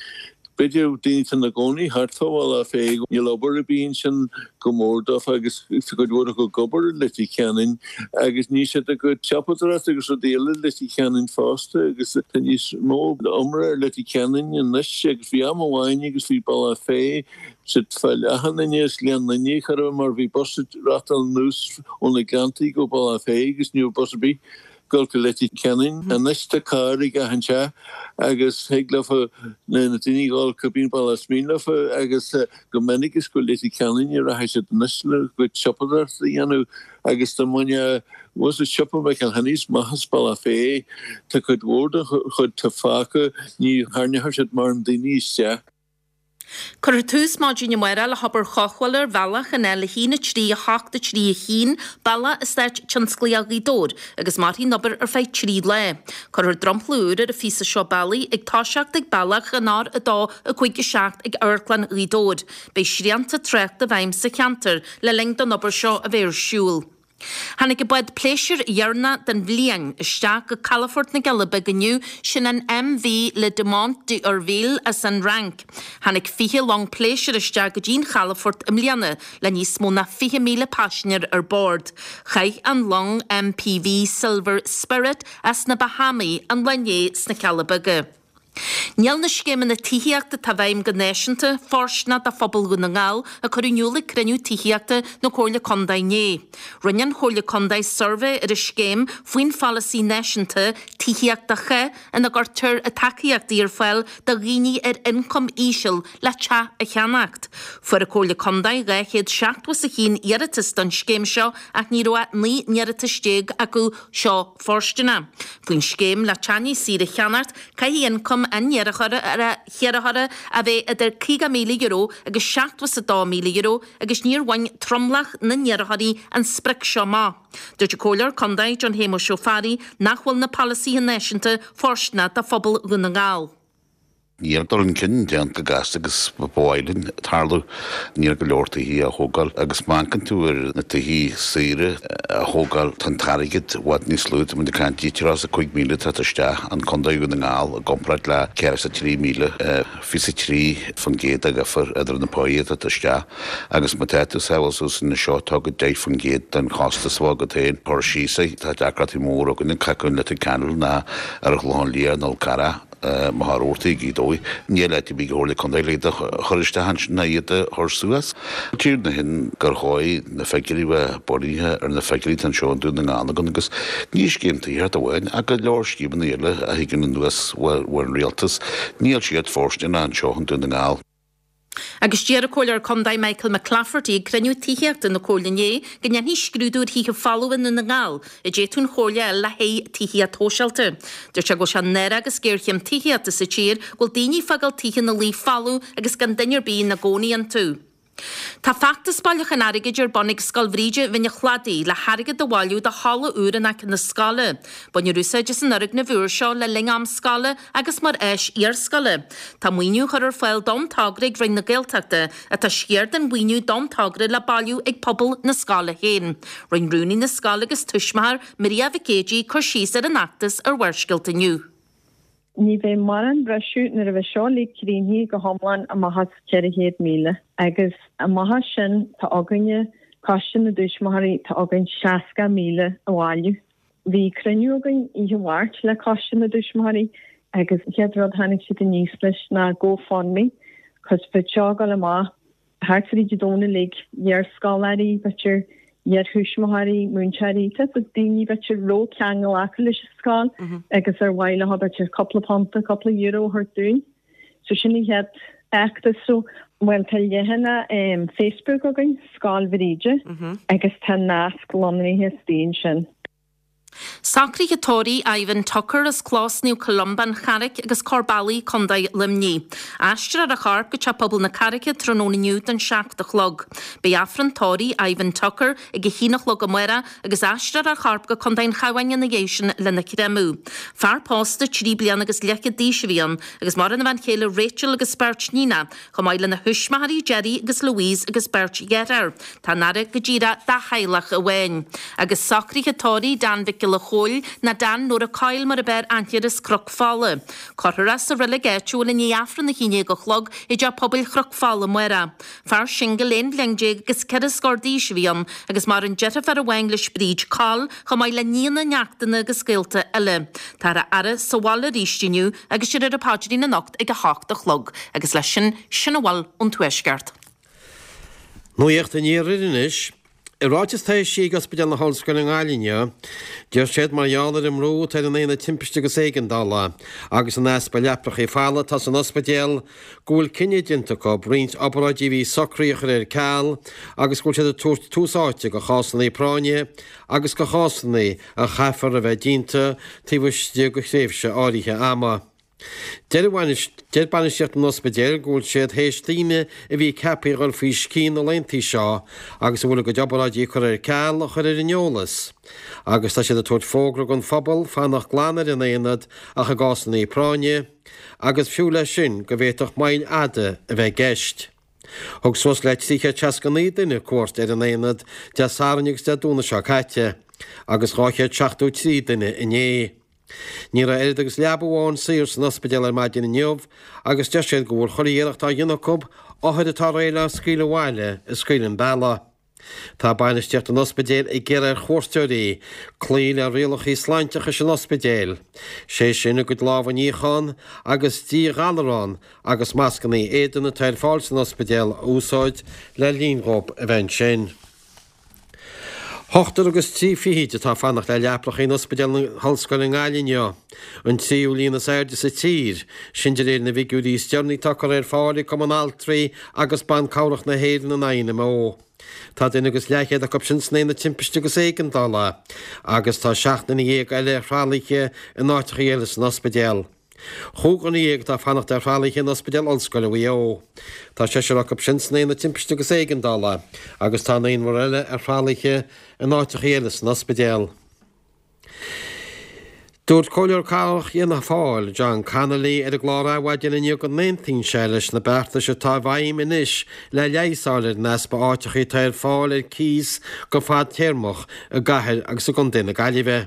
B'fhéidir daoine atá ina gcónaí thart fá Bhealach Féich, níl obair ar bith ansin go mór dófa agus tá cuid mhór acu ag obair i Leitir Ceanainn agus níl siad ag siopadóireacht agus rudaí eile i Leitir Ceanainn fosta agus tá níos mó iomrá ar Leitir Ceanainn anois agus bhí am amháin agus bhí Bealach Féich siad fá leath an Fhinne is Gleann Fhinne chor ar bith mar bhí bus ag reachtáil anuas ó na Gleanntaí go Bealach Féich agus ní raibh bus ar bith dul go Leitir Ceanainn. Anois tá carr ag achan teach agus thig leofa na daoine dhul cibé bealach is mian leofa agus go minic is go Leitir Ceanainn a rachaidh siad anois le gcuid siopadóireachta a dhéanamh agus dá mbainfeá was siopa McElhenney's amach as Bealach Féich tá cuid mhór den chuid atá fágtha ní tharraingeoidh siad mórán daoine isteach. Cuirfear tús maidin amárach le hobair chothabhála ar bhealach an L a haon a trí a hocht a trí a haon, bealach Eastát Tionsclaíoch Ghaoth Dobhair, agus mairfidh an obair ar feadh trí lá. Cuirfear dromchla úr ar an phíosa seo bealaigh ag toiseacht ag bealach an R a dó a cúig a seacht ag Amharclann Ghaoth Dobhair. Beidh srianta tráchta i bhfeidhm sa cheantar le linn don obair seo a bheith ar siúl. Tháinig an bád pléisiúir dheireanach den bhliain isteach go calafort na gCealla Beaga inniu, sin an MV Le Diamant d'Urville as an Fhrainc. Tháinig fiche long pléisiúir isteach go dtí an chalafort i mbliana le níos mó ná fiche míle paisinéir ar bord. Chaith an long MPV Silver Spirit as na Bahámaí an lá inné sna Cealla Beaga. Níl na scéimeanna tithíochta atá i bhfeidhm go náisiúnta fóirsteanach do phobal Dhún na nGall, a cuireadh in iúl ag cruinniú tithíochta na Comhairle Contae inné. Rinne an Chomhairle Contae suirbhé ar an scéim faoin pholasaí náisiúnta Tithíocht do Chách ina gcuirtear tacaíochtaí ar fáil do dhaoine ar ioncam íseal le teach a cheannacht. Fuair an Chomhairle Contae dhá chéad seachtó is a haon iarratas don scéim seo ach ní raibh ach naoi n-iarratas déag acu seo fóirsteanach. Faoin scéim le teach níos saoire a cheannacht, caithfidh ioncam an iarrthóra a bheith idir caoga míle euro agus seachtó is a dó míle euro agus níor bhain tromlach na n-iarrthóirí an sprioc seo amach. Dúirt an Comhairleoir Contae John Shéamuis Ó Fearraigh nach bhfuil na polasaithe náisiúnta fóirsteanach do phobal Dhún na nGall. Níl dul chun cinn déanta go gasta agus ba mhaith linn tarlú. Níl go leor tithe á thógáil agus má amharcann tú ar na tithe saoire a thógáil tá an t-airgead i bhfad níos lú. Tá muid ag caint ceathracha is a cúig míle atá isteach an Contae Dhún na nGall i gcomparáid le ceathracha is a trí míle, fiche is a trí faoin gcéad de dhifear idir na páí atá isteach agus má tá tú sábháil suas anseo tá go deich faoin gcéad den chostas a bheadh agat féin cur síos é. Tá deacrachtaí mór againn cé acu in Leitir Ceanainn ná ar an Chlochán Liath nó Col Carrach. Má thá rórtaí ag Gaoth Dobhair, níl áit ar bith ag an Chomhairle Contae le iad a chur isteach ansin ná iad a chur suas. Tír na hin gur dhóigh na figiúirí bheith bunaithe ar na figiúirí atá anseo i nDún na nGall againn agus ní scéim tithíochta amháin ach go leor scéimeanna eile a thigeann anuas ón rialtas, níl siad fóirsteanach anseo i nDún na nGall. Agus deir an Comhairleoir Contae Michael McClafferty ag cruinniú tithíochta na Comhairle inné go ndéanfaí scrúdú ar thithe folmha i nDún na nGall a d'fhéadfadh an Chomhairle a fháil le haghaidh tithíocht shóisialta. Dúirt sé go bhfuil sé náireach agus géarchéim tithíochta sa tír go bhfuil daoine ag fágáil tithe ina luí folamh agus gan duine ar bith ina gcónaí iontu. Tá feachtas bailiúcháin airgid ar bun ag Scoil Bhríde Bhinn an Chladaigh le hairgead a bhailiú do halla úr in aice na scoile. Bainfear úsáid as an fhoirgneamh úr seo le linn am scoile agus mar áis iarscoile. Tá maoiniú á chur ar fáil don togra ag Roinn na Gaeltachta ach tá sciar den mhaoiniú don togra le bailiú ag pobal na scoile féin. Rinne rúnaí na scoile agus tuismitheoir Maria Mhic Éadaigh cur síos ar an fheachtas ar Bharrscéalta inniu. Ní bheidh mórán briseadh nuair a bheidh seo uilig críochnaithe go hiomlán amach as ceithre chéad míle. Agus amach as sin tá againne, Coiste na dTuismitheoirí, tá againn seasca míle a bhailiú. Bhí cruinniú againn oíche Mháirt le Coiste na dTuismitheoirí agus an chéad rud tháinig siad aníos leis ná GoFundMe cos bheadh seo ag dul amach thart fríd an domhan uilig, iarscoláirí, b'fhéidir iarthuismitheoirí, múinteoirí, tá daoine b'fhéidir raibh ceangal acu leis an scoil agus ar mhaith leo b'fhéidir cúpla punta, cúpla euro a thabhairt dúinn. So sin an chéad fheachtas. So, bhuel tá leathanach Facebook againn, Scoil Bhríde, agus tá nasc lonraithe istigh ansin. Socruithe tórraimh Ivan Tucker as Clós Naomh Columba, An Charraic agus Corr Bealaigh, Contae Luimnigh. Aistreofar a chorp go Teach Pobail na Carraice tráthnóna inniu don seacht a chlog. Beidh Aifreann tórraimh Ivan Tucker ag a haon a chlog amárach agus aistreofar a chorp go Contae an Chabháin ina dhiaidh sin lena chréamadh. Fear pósta trí bliana agus leathchéad d'aois a bhí ann agus maireann a bhean chéile Rachel agus beirt níonacha, chomh maith lena thuismitheoirí Gerry agus Louise agus beirt dheartháir. Tá an fhaire go díreach dá theaghlach amháin. Agus socruithe tórraimh Dan Mhic Giolla Chóill nó Dan Nóra Coyle mar ab fhearr aithne air as Cnoc Fola. Cuirfear é sa reilig áitiúil i ndiaidh Aifreann a haon déag a chlog i dTeach Pobail Chnoc Fola amárach. Fear singil aon bhliain déag agus ceithre scór d'aois a bhí ann agus maireann deirfiúr amháin leis Bríd Coll chomh maith le nianna, neachtanna agus gaolta eile. Táthar á fhaire sa bhaile arís inniu agus déarfar an paidrín anocht ag a hocht a chlog. Agus leis sin, sin a bhfuil ón Tuaisceart. Nuacht an Iarthair anois. I ráiteas atá eisithe ag Ospidéal na hOllscoile i nGaillimh inniu, deir siad mar gheall ar an mbrú atá ar an Aonad Timpiste agus Éigeandála agus an easpa leaprachaí folamh atá san ospidéal go bhfuil cinneadh déanta acu roinnt obráidí a bhí socraithe a chur ar ceal agus go bhfuil siad ag tabhairt tús áite do chásanna práinne agus do chásanna a chaithfear a bheith déanta taobh istigh de thréimhse áirithe ama. Deir bainistíocht an ospidéil go bhfuil siad théis daoine a bhí ceaptha a dhul faoi scian na laethanta seo agus a bhfuil a gcuid obráidí curtha ar ceal a chur ar an eolas agus tá siad ag tabhairt fógra don phobal fanacht glan ar an aonad ach i gcásanna práinne agus fiú leis sin go bhféadfadh moill fhada a bheith i gceist. Thug suas le trí chéad seasca naoi duine cuairt ar an aonad Dé Sathairn agus Dé Domhnaigh seo caite agus dhá chéad seachtó trí duine inné. Ní raibh oiread agus leaba amháin saor san ospidéal ar maidin inniu agus deir siad go bhfuil chuile iarracht á dhéanamh acu othair atá réidh le scaoileadh abhaile a scaoileadh an bealach. Tá bainistíocht an ospidéil ag iarraidh ar chuairteoirí cloí le rialacha sláinteachais an ospidéil, sé sin a gcuid lámh a níochán agus díghalarán agus mascanna éadain atá ar fáil san ospidéal a úsáid le linn dhóibh a bheith ansin. Ochtar agus trí fichid atá ag fanacht le leapracha in Ospidéal na hOllscoile i nGaillimh inniu, an tríú líon is airde sa tír, sin de réir na bhfigiúirí is deireanaí atá curtha ar fáil ag Cumann Altraí agus Ban Cabhrach na hÉireann, an INMO. Tá duine agus leathchéad acu sin san Aonad Timpiste agus Éigeandála agus tá seacht nduine dhéag eile ar thralaithe in áiteacha eile san ospidéal. Chúig dhuine dhéag atá ag fanacht ar thralaithe in Ospidéal Ollscoile Mhaigh Eo. Tá seisear acu sin san Aonad Timpiste agus Éigeandála agus tá naonúr eile ar thralaithe in áiteacha eile san ospidéal. Dúirt Comhairleoir Cathrach Fhianna Fáil, John Connolly, ar an gclár Adhmhaidin inniu go n-aontaíonn sé leis na beartais atá i bhfeidhm anois le leigheas a fháil ar an easpa áiteacha atá ar fáil ar cíos go fadtéarmach i gcathair agus i gcontae na Gaillimhe.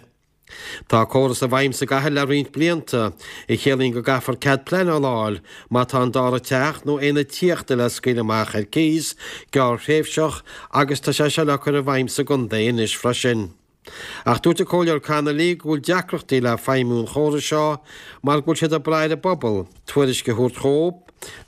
Tá córas i bhfeidhm sa gcathair le roinnt blianta, a chiallaíonn go gcaithfear cead pleanála a fháil má tá an dara teach nó aonad tithíochta le scaoileadh amach ar cíos gearrthréimhseach agus tá sé seo le cur i bhfeidhm sa gcontae anois freisin. Ach dúirt an Comhairleoir Connolly go bhfuil deacrachtaí le feidhmiú an chórais seo mar go bhfuil siad ag brath ar an bpobal tuairisc a thabhairt dhóibh,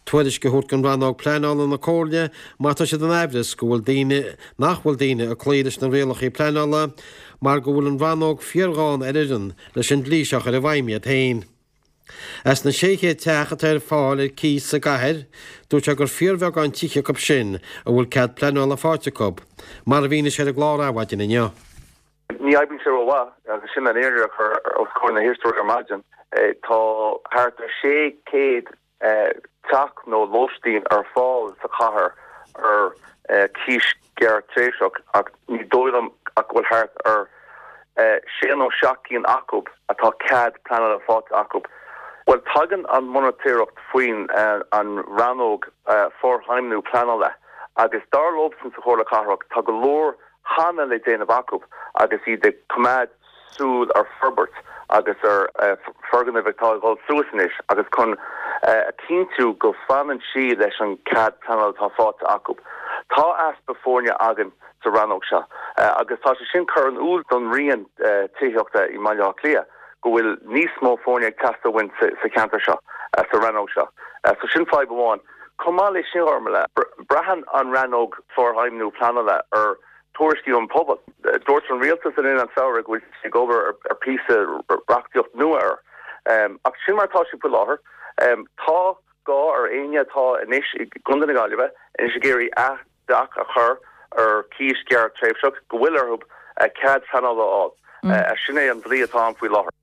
tuairisc a thabhairt don rannóg pleanála na Comhairle má tá siad in aimhreas go bhfuil daoine nach bhfuil daoine ag cloí leis na rialacha pleanála mar go bhfuil an rannóg fíorghann ar fhoireann leis an dlí seo a chur i bhfeidhm iad féin. As na sé chéad teach atá ar fáil ar cíos sa gcathair, dúirt sé gur fíorbheagán tithe acu sin a bhfuil cead pleanála faighte acu, mar a mhínigh sé ar an gclár Adhmhaidin inniu. Ní oibríonn sé rómhaith agus sin an fhírinne a chur os comhair na héisteoirí ar maidin. Tá thart ar sé chéad teach nó lóistín ar fáil sa chathair ar cíos gearrthréimhseach ach ní dóigh liom ach go bhfuil thart ar sé nó seacht gcinn acu atá cead pleanála faighte acu. Bhuel, tagann an mhonatóireacht faoin an rannóg forfheidhmiú pleanála agus dar leosan sa Chomhairle Cathrach tá go leor cheana le déanamh acu agus iad ag coimeád súil ar forbairt agus ar foirgnimh atá ag dul suas anois agus chun a chinntiú go bhfanann siad leis an cead pleanála atá faighte acu. Tá easpa foirne againn sa rannóg seo agus tá sé sin curtha in iúl don Roinn Tithíochta i mBaile Átha Cliath go bhfuil níos mó foirne ag teastáil uainn sa cheantar seo, sa rannóg seo. So sin fadhb amháin. Chomh maith leis sin, Gormlaith, braitheann an rannóg forfheidhmiú pleanála ar tuairiscí ón bpobal. Dúirt an rialtas le linn an tsamhraidh go bhfuil siad ag obair ar phíosa reachtaíocht nua air. Ach sin mar atá sé faoi láthair. Tá gá ar éinne atá anois i gContae na Gaillimhe anois ag iarraidh a dteach a chur ar cíos gearrthréimhseach go bhfuil orthu cead pleanála a fháil. Sin é an dlí atá ann faoi láthair.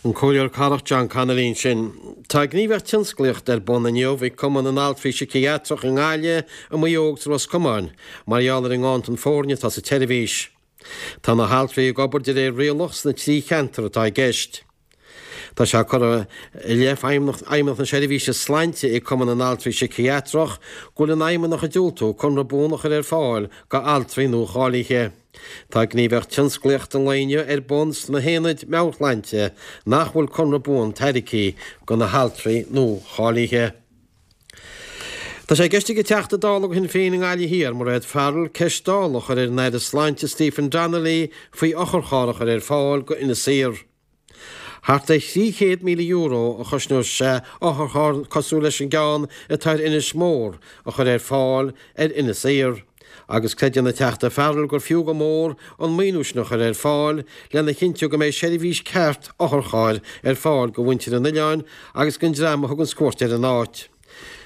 An Comhairleoir Cathrach John Connolly ansin. Tá gníomhaíocht tionsclaíochta ar bun inniu ag Cumann na nAltraí Síciatrach i nGaillimh, i Maigh Eo agus i Ros Comáin mar gheall ar an nganntan foirne atá sa tseirbhís. Tá na haltraí ag obair de réir rialach sna trí cheantar atá i gceist. Tá sé curtha i leith Fheidhmeannacht na Seirbhíse Sláinte ag Cumann na nAltraí Síciatrach go bhfuil an Fheidhmeannach ag diúltú conradh buan a chur ar fáil do altraí nua-cháilithe. Tá gníomhaíocht tionsclaíochta an lae inniu ar bun sna haonaid meabhairshláinte nach bhfuil conradh buan tairgthe do na haltraí nua-cháilithe. Tá sé i gceist ag an Teachta Dála do Shinn Féin i nGaillimh Thiar, Mairéad Farrell, ceist Dála a chur ar an Aire Sláinte Stephen Donnelly faoi otharcharr a chur ar fáil go Inis Oírr. Thart ar thrí chéad míle euro a chosnódh sé otharcharr cosúil leis an gceann atá ar Inis Mór a chur ar fáil ar Inis Oírr. Agus creideann an Teachta Farrell gur fiú go mór an maoiniú sin a chur ar fáil lena chinntiú go mbeidh seirbhís ceart otharchairr ar fáil go mhuintir an oileáin agus don dream a thuganns cuairt ar an áit.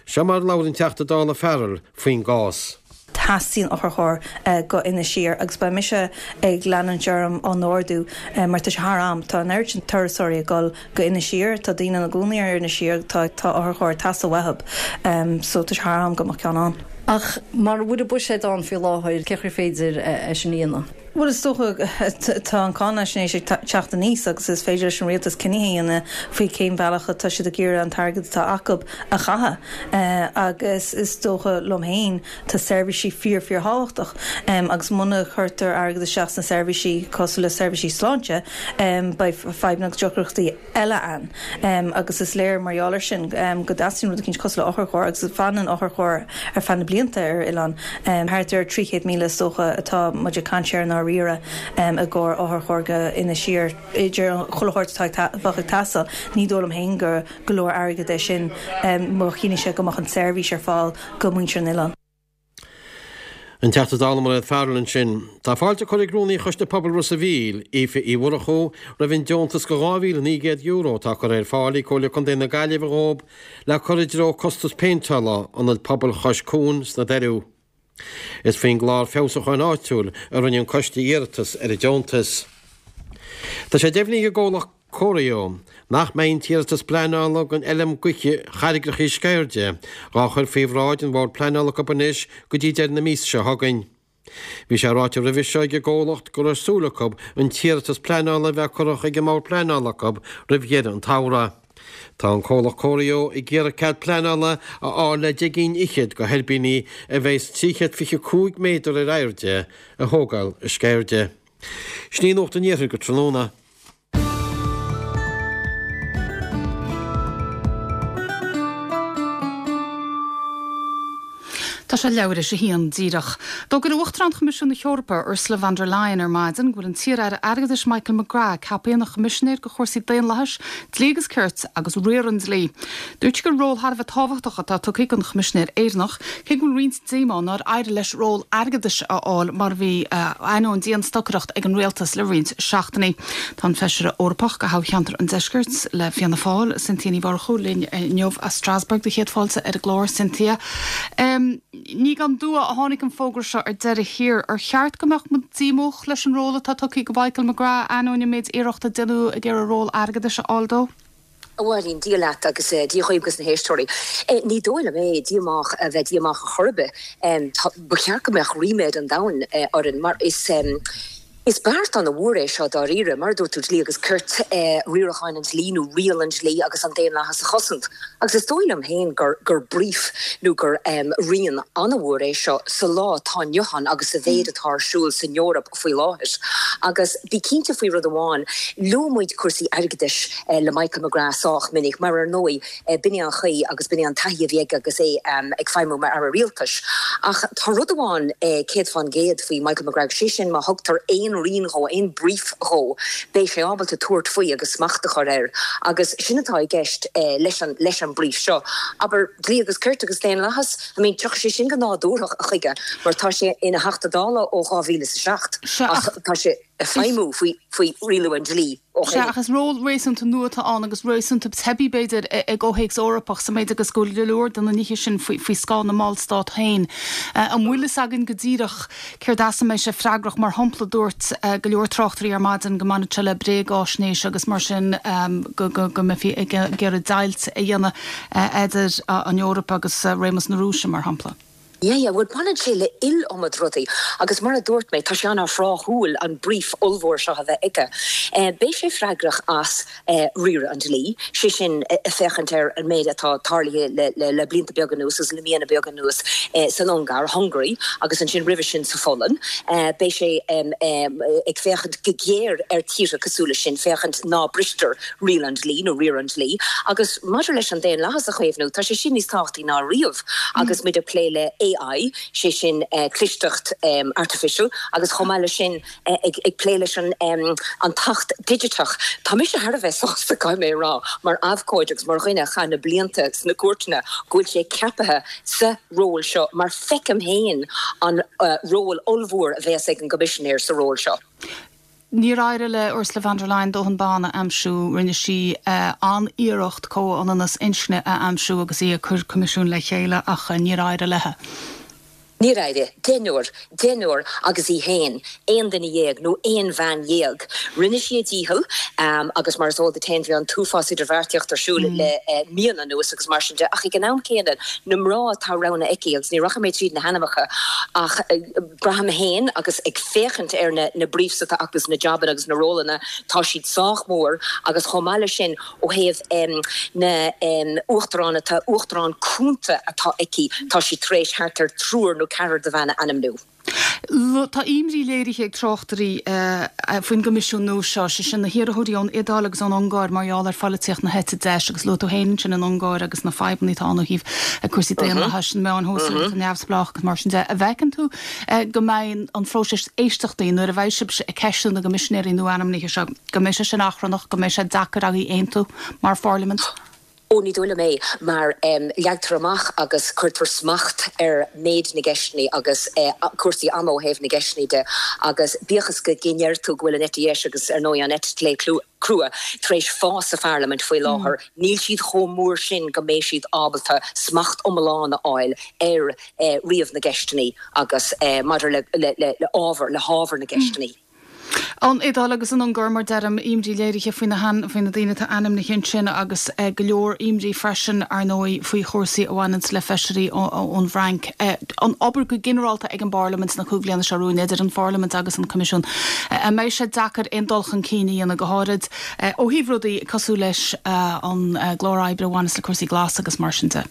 Seo mar a labhair an Teachta Dála Farrell faoin gcás. Teastaíonn otharcharr go Inis Oírr agus beidh mise ag leanúint orm á n-ardú mar tá sé thar am. Tá an oiread sin turasóirí ag dul go Inis Oírr, tá daoine ina gcónaí ar Inis Oírr, tá tá otharcharr ag teastáil uathu so tá sé thar am go mbeadh ceann ann. Ach mura bhfuil buiséad ann faoi láthair, cén chaoi ar féidir é sin a dhéanamh? Bhuel, is dócha, tá an cáinaisnéis ag teacht aníos agus is féidir leis an rialtas cinntí a dhéanamh faoi cén bhealach atá siad ag iarraidh an t-airgead atá acu a chaitheamh. Agus is dócha liom féin, tá seirbhísí fíor fíor thábhachtach agus muna chuirtear airgead isteach sna seirbhísí cosúil le seirbhísí sláinte, beidh fadhbanna agus deacrachtaí eile ann. Agus is léir mar gheall air sin go dteastaíonn rud eicínt cosúil le otharcharr agus fanann otharcharr ar feadh na blianta ar oileán. Thart ar trí chéad míle is dócha atá muid ag caint air i ndáiríre i gcomhair otharcharr go Inis Oírr. Idir an chuile shórt atá ag bheadh ag teastáil, ní dóigh liom féin gur go leor airgead é sin má chinntíonn sé go mbeadh an tseirbhís ar fáil go muintir an oileáin. An Teachta Dála Mairéad Farrell ansin. Tá fáilte curtha ag Rúnaí Choiste Pobail Ros a' Mhíl, Aoife Uí Mhurchú, roimh an deontas de dhá mhíle naoi gcéad euro atá curtha ar fáil ag Comhairle Contae na Gaillimhe dhóibh le cur i dtreo costas péinteála Ionad Pobail Chois Cuain sna Doiriú. Is faoin gClár Feabhsúcháin Áitiúil a rinne an coiste iarratas ar an deontas. Tá sé deimhnithe ag an gcomhlacht Corio nach mbeidh an t-iarratas pleanála don fheilm gaoithe Charraigreachaí Sceirde dhá chur faoi bhráid an Bhord Pleanála acu anois go dtí deireadh na míosa seo chugainn. Bhí sé ráite roimhe seo ag an gcomhlacht go raibh súil acu an t-iarratas pleanála a bheith curtha chuig an mBord Pleanála acu roimh dheireadh an tsamhraidh. Tá an comhlacht Corio ag iarraidh cead pleanála a fháil le deich gcinn fhichead de thuirbíní a bheas trí chéad fiche cúig méadar ar airde a thógáil i Sceirde. Sin í Nuacht an Iarthair go tráthnóna. Tá sé leathuair théis a haon díreach. D'fhógair Uachtarán Choimisiún na hEorpa, Ursula von der Leyen ar maidin go bhfuil an t-iar-aire airgeadais Michael McGrath ceaptha ina Choimisinéir do chúrsaí daonlathais, dlí agus cirt agus riar an dlí. Dúirt sí gur ról thar a bheith tábhachtach atá tugtha don Choimisinéir Éireannach, cé go bhfuil roinnt díomá nár éirigh leis ról airgeadais a fháil mar a bhí ainneoin dianstocaireacht ag an rialtas le roinnt seachtainí. Tá an Feisire Eorpach do thoghcheantar an Deiscirt le Fianna Fáil, Cynthia Ní Mhurchú linn inniu as Strasbourg do chéad fáilte ar an gclár Cynthia. Ní gan dua a tháinig an fógra seo ar deireadh thiar. Ar cheart go mbeadh muid díomách leis an ról atá tugtha do Mhichael McGrath ainneoin an méid iarrachta a déanadh ag iarraidh ról airgeadais a fháil dó? A Mháirín, Dia leat agus Dia dhaoibh agus na héisteoirí. Ní dóigh liom é díomách a bheith díomách ar chor ar bith. Ba cheart go mbeadh ríméad an domhain orainn mar is Is beart an-mhór é seo dáiríre, mar a dúirt tú, dlí agus cirt, riarachán an dlí nó riail an dlí agus an daonlathas a chosaint. Agus is dóigh liom féin gur gur brief nó gur rian an-mhór é seo sa lá atá inniu ann agus sa mhéid atá ar siúl san Eoraip faoi láthair. Agus bí cinnte faoi rud amháin, luaigh muid cúrsaí airgeadais le Michael McGrath sách minic, mar ar ndóigh b'in é an chaoi agus b'in é an taithí a bhí aige agus é ag feidhmiú mar Aire Rialtais. Ach tá rud amháin céad fán gcéad faoi Michael McGrath, sé sin má thugtar aon rian dhó, aon brief dhó, beidh sé ábalta tabhairt faoi agus smacht a chur air. Agus sin atá i gceist leis an leis an brief seo. Abair, dlí agus cirt agus daonlathas, I mean, tiocfaidh sé sin go nádúrtha chuige mar tá sé ina Theachta Dála ó dhá mhíle is a seacht ach tá sé ag feidhmiú faoi faoi rialú an dlí ó Sea, ach is ról réasúnta nua atá ann agus réasúnta teibí, b'fhéidir, i gcomhthéacs Eorpach, sa méid agus go bhfuil go leor de na nithe sin faoi scáth na mballstát féin. An bhfuil fhios againn go díreach céard as a mbeidh sé freagrach? Mar shampla, dúirt go leor tráchtairí ar maidin go mbainfeadh sé le bréagáisnéis agus mar sin go mbeifí ag iarraidh deighilt a dhéanamh idir an Eoraip agus réimeas na Rúise, mar shampla. Yeah, yeah, bhuel baineann sé le iliomad rudaí agus mar a dúirt mé, tá sé an-thráthúil an brief ollmhór seo a bheith aige. Beidh sé freagrach as riaradh an dlí, sé sin féachaint ar an méid atá tarlaithe le, le, le blianta beaga anuas agus le míonna beaga anuas san Ungáir, Hungary, agus ansin roimhe sin sa Pholainn. Beidh sé ag féachaint go géar ar tíortha cosúil leis sin, féachaint ná bristear riail an dlí nó riar an dlí. Agus maidir leis an daonlathas a chaomhnú, tá sé sin níos tábhachtaí ná riamh agus muid ag plé le AI, sé sin clisteacht artificial, agus chomh maith leis sin ag plé leis an an tAcht Digiteach. Tá mise thar a bheith sásta, caithfidh mé a rá, mar abhcóide agus mar dhuine a chaith na blianta sna cúirteanna, go bhfuil sé ceaptha sa ról seo mar feicim féin an ról ollmhór a bheas ag an gCoimisinéir sa ról seo. Níor éirigh le Ursula von der Leyen dóthain ban a aimsiú. Rinne sí an-iarracht comhionannas inscne a aimsiú agus í ag cur coimisiún le chéile ach níor éirigh léi. Níor éirigh. Deichniúr. Deichniúr agus í féin. Aon duine dhéag nó aon bhean dhéag. Rinne sí a dícheall agus mar is eol duit féin bhí an t-uafás idirbheartaíocht ar siúl le míonna anuas agus mar sin de ach ag an am céanna na mná atá roghnaithe aici agus ní rachaidh mé tríd na hainmneacha ach Braithim féin agus ag féachaint ar na na briefs atá acu agus na jabanna agus na rólanna, tá siad sách mór agus chomh maith leis sin ó thaobh na uachtarán atá, uachtarán cúnta atá aici, tá sí tar éis thart ar triúr nó ceathrar de bhean a ainmniú. Tá imní léirithe ag tráchtairí faoin gCoimisiún nua seo, sé sin na hiarrthóirí ón Iodáil agus ón Ungáir mar gheall ar pholaitíocht na heite deis agus luaigh tú féin ansin an Ungáir agus na fadhbanna atá ann ó thaobh cúrsaí daonlathais, na meáin shóisialta neamhspleách agus mar sin de. An bhfeiceann tú go mbeidh an phróiseas éisteachtaí nuair a bheidh sibhse ag ceistiú na gcoimisinéirí nua-ainmnithe seo, go mbeidh sé sin achrannach, go mbeidh sé deacair agaibh aontú mar pharlaimint? Ó, ní dóigh liom é, mar leagtar amach agus cuirtear smacht ar méid na gceisteanna agus cúrsaí ama ó thaobh na gceisteanna de agus bíodh is go ndeir tú go bhfuil an eite dheis agus ar ndóigh an eite chlé crua tar éis fás sa pharlaimint faoi láthair, níl siad chomh mór sin go mbeidh siad ábalta smacht iomlán a fháil ar ríomh na gceisteanna agus maidir le ábhar, le hábhar na gceisteanna. An Iodáil agus an Ungáir, mar deirim, imní léirithe faoi na faoi na daoine atá ainmnithe ansin agus go leor imní freisin, ar ndóigh, faoi chúrsaí a bhaineanns le feisirí ón bhFrainc. An obair go ginearálta ag an bParlaimint sna cúig bliana seo romhainn, idir an Pharlaimint agus an Coimisiún, an mbeidh sé deacair aon dul chun cinn a dhéanamh, go háirid ó thaobh rudaí cosúil leis an gclár oibre a bhaineas le cúrsaí glasa agus mar sin de?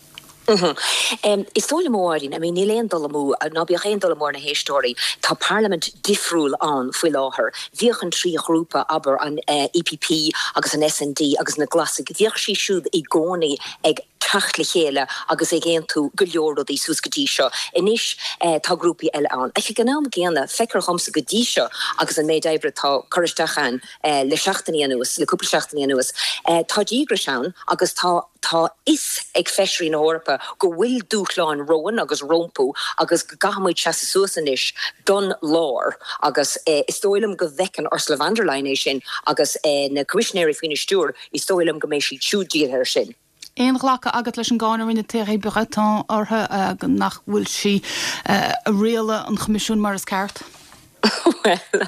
Is dóigh liom, a Mháirín, I mean níl aon dul amú, ná bíodh aon dul amú ar na héisteoirí, tá parlaimint difriúil ann faoi láthair. Bhíodh an trí ghrúpa, abair, an EPP agus an SND agus na Glasaigh, bhíodh siad siúd i gcónaí ag teacht le chéile agus ag aontú go leor rudaí suas go dtí seo. Anois tá grúpaí eile ann. Ach ag an am gcéanna, feictear dhomsa go dtí seo agus an méid oibre atá curtha isteach ann le seachtainí anuas, le cúpla seachtainí anuas, tá díograis ann agus tá tá fhios ag feisirí na hEorpa go bhfuil dúshláin romhainn agus rompu agus go gcaithfidh muid seasamh suas anois don lár agus is dóigh liom go bhfeiceann Ursula von der Leyen é sin agus na coimisinéirí faoina stiúir, is dóigh liom go mbeidh siad siúd dírithe air sin. Aon ghlacadh agat leis an gcáineadh a rinne Thierry Breton uirthi nach bhfuil sí ag rialadh an Choimisiúin mar is ceart? Bhuel,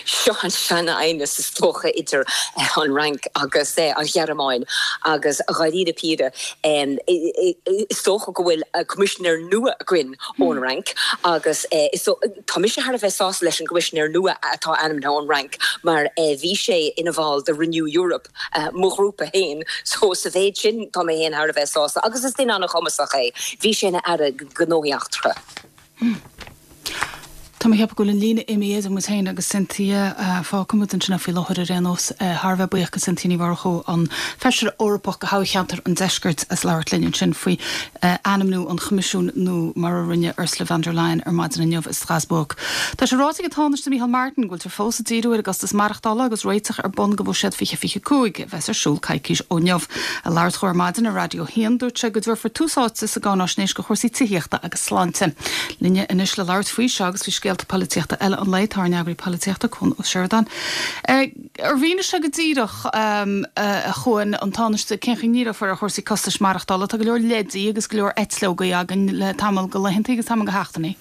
seo an sean-aighneas is dócha idir an Fhrainc agus an Ghearmáin agus dháiríre píre is dócha go bhfuil coimisinéir nua againn ón Fhrainc agus tá mise thar a bheith sásta leis an gcoimisinéir nua atá ainmnithe ón Fhrainc mar bhí sé ina bhall de Renew Europe, mo ghrúpa féin, so sa mhéid sin tá mé féin thar a bheith sásta agus is duine an-chumasach é, bhí sé ina Aire Gnóthaí Eachtracha. Tá mé ag ceapadh go bhfuil an líne imithe idir muid féin agus Cynthia. Fágfaidh muid ansin faoi láthair ar aon nós. Thar a bheith buíoch de Cynthia Ní Mhurchú, an Feisire Eorpach do thoghcheantar an Deiscirt as labhairt linn ansin faoi ainmniú an Choimisiúin nua mar a rinne Ursula von der Leyen ar maidin inniu i Strasbourg. Tá sé ráite ag an Tánaiste Micheál Martin go bhfuiltear fós ag díriú ar an gcostas maireachtála agus réiteach ar bun do Bhuiséad fiche fiche cúig a bheas ar siúl coicís ó inniu. Ag labhairt dó ar maidin ar Raidió a haon dúirt sé go dtabharfar tús áite sa gcáináisnéis do chúrsaí tithíochta agus sláinte. Linne anois le labhairt faoi seo agus faoi scéalta polaitíochta eile an lae tá ár n-eagraí polaitíochta, Cuan Ó Seireadáin. Ar mhínigh sé go díreach, a Chuain, an Tánaiste, cén chaoi a ndíreofar ar chúrsaí costais maireachtála? Tá go leor leidí agus go leor eitleogaí againn le tamall de laethanta agus tamall de sheachtainí.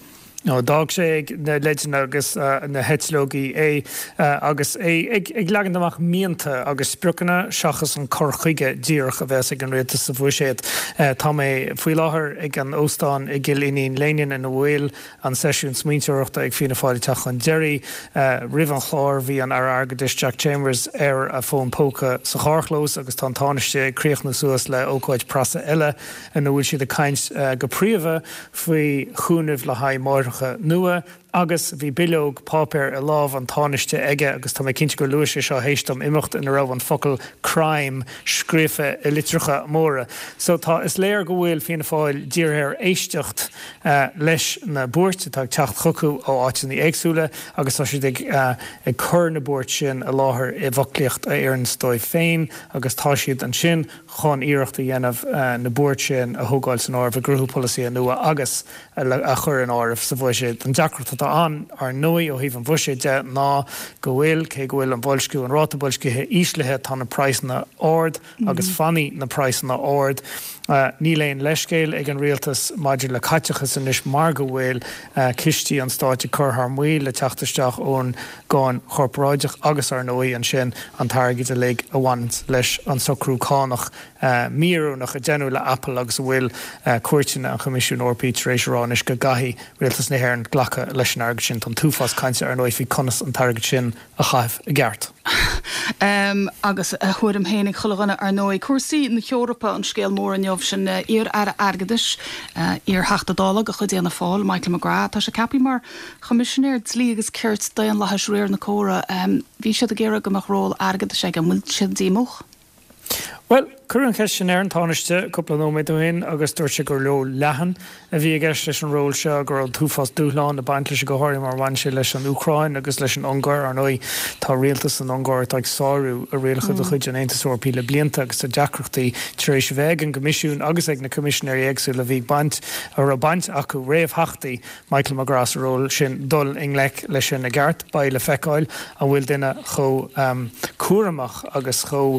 No, d'fhág sé ag na leideanna agus na heitleogaí é agus é ag leagan amach mianta agus spriocanna seachas an cur chuige díreach a bheas ag an rialtas sa bhuiséad. Tá mé faoi láthair ag an óstán i gCill Iníon Léinín ina bhfuil an seisiún smaointeoireachta ag Fianna Fáil ag teacht chun deiridh. Roimh an chlár bhí an Aire Airgeadais Jack Chambers ar a fón póca sa charrchlós agus tá an Tánaiste ag críochnú suas le ócáid preasa eile ina bhfuil siad ag caint go príomha faoi chúnamh le haghaidh máithreacha nua agus bhí bileog páipéir i lámh an Tánaiste aige agus tá mé cinnte gur luaigh sé seo théis dom imeacht ina raibh an focal 'crime' scríofa i litreacha móra. So tá, is léir go bhfuil Fianna Fáil dírithe ar éisteacht leis na buairt atá ag teacht chucu ó áiteanna éagsúla agus tá siad ag ag cur na buairt sin i láthair i bhfoclaíocht a oireanns dóibh féin agus tá siad ansin chun iarracht a dhéanamh na buairt sin a thógáil san áireamh i gcruthú polasaithe nua agus a chur in áireamh sa bhuiséad. An deacracht atá ann, ar ndóigh, ó thaobh an bhuiséid de ná go bhfuil, cé go bhfuil an boilsciú, an ráta boilscithe íslithe, tá na praghsanna ard agus fanfaidh na praghsanna ard. Níl aon leithscéal ag an rialtas maidir le caiteachas anois mar go bhfuil cistí an stáit ag cur thar maoil le teacht isteach ón gcáin chorparáideach agus, ar ndóigh, ansin an t-airgead uilig a bhaineanns leis an socrú cánach mí-oiriúnach a deineadh le Apple agus a bhfuil cúirteanna an Choimisiúin Eorpaigh tar éis a rá anois go gcaithfidh rialtas na hÉireann glacadh leis an airgead sin. Tá an t-uafás cainte ar ndóigh faoi conas an t-airgead sin a chaitheamh i gceart. Agus a thuairim féin ag chuile dhuine ar ndóigh. Cúrsaí na hEorpa an scéal mór inniu, sin iar-aire airgeadais, iar-Theachta Dála de chuid Fhianna Fáil, Michael McGrath. Tá sé ceaptha mar Choimisinéir Dlí agus Cirt, Daonlathais, Riar na Córa. Bhí siad ag iarraidh go mbeadh ról airgeadais aige. An bhfuil siad díomách? Bhuel, cuireadh an cheist sin ar an Tánaiste cúpla nóiméad ó shin agus dúirt sé gur ról leathan a bhí i gceist leis an ról seo, go raibh an t-uafás dúshlán ag baint leis, go háirithe mar a bhain sé leis an Úcráin agus leis an Ungáir. Ar ndóigh, tá rialtas san Ungáir atá ag sárú a rialacha de chuid an Aontais Eorpaigh le blianta agus tá deacrachtaí tar éis a bheith ag an gCoimisiún agus ag na coimisinéirí éagsúla a bhí ag baint, a raibh baint acu, réamhtheachtaí Michael McGrath sa ról sin, dul i ngleic leis sin i gceart. Beidh le feiceáil an bhfuil duine chomh cúramach agus chomh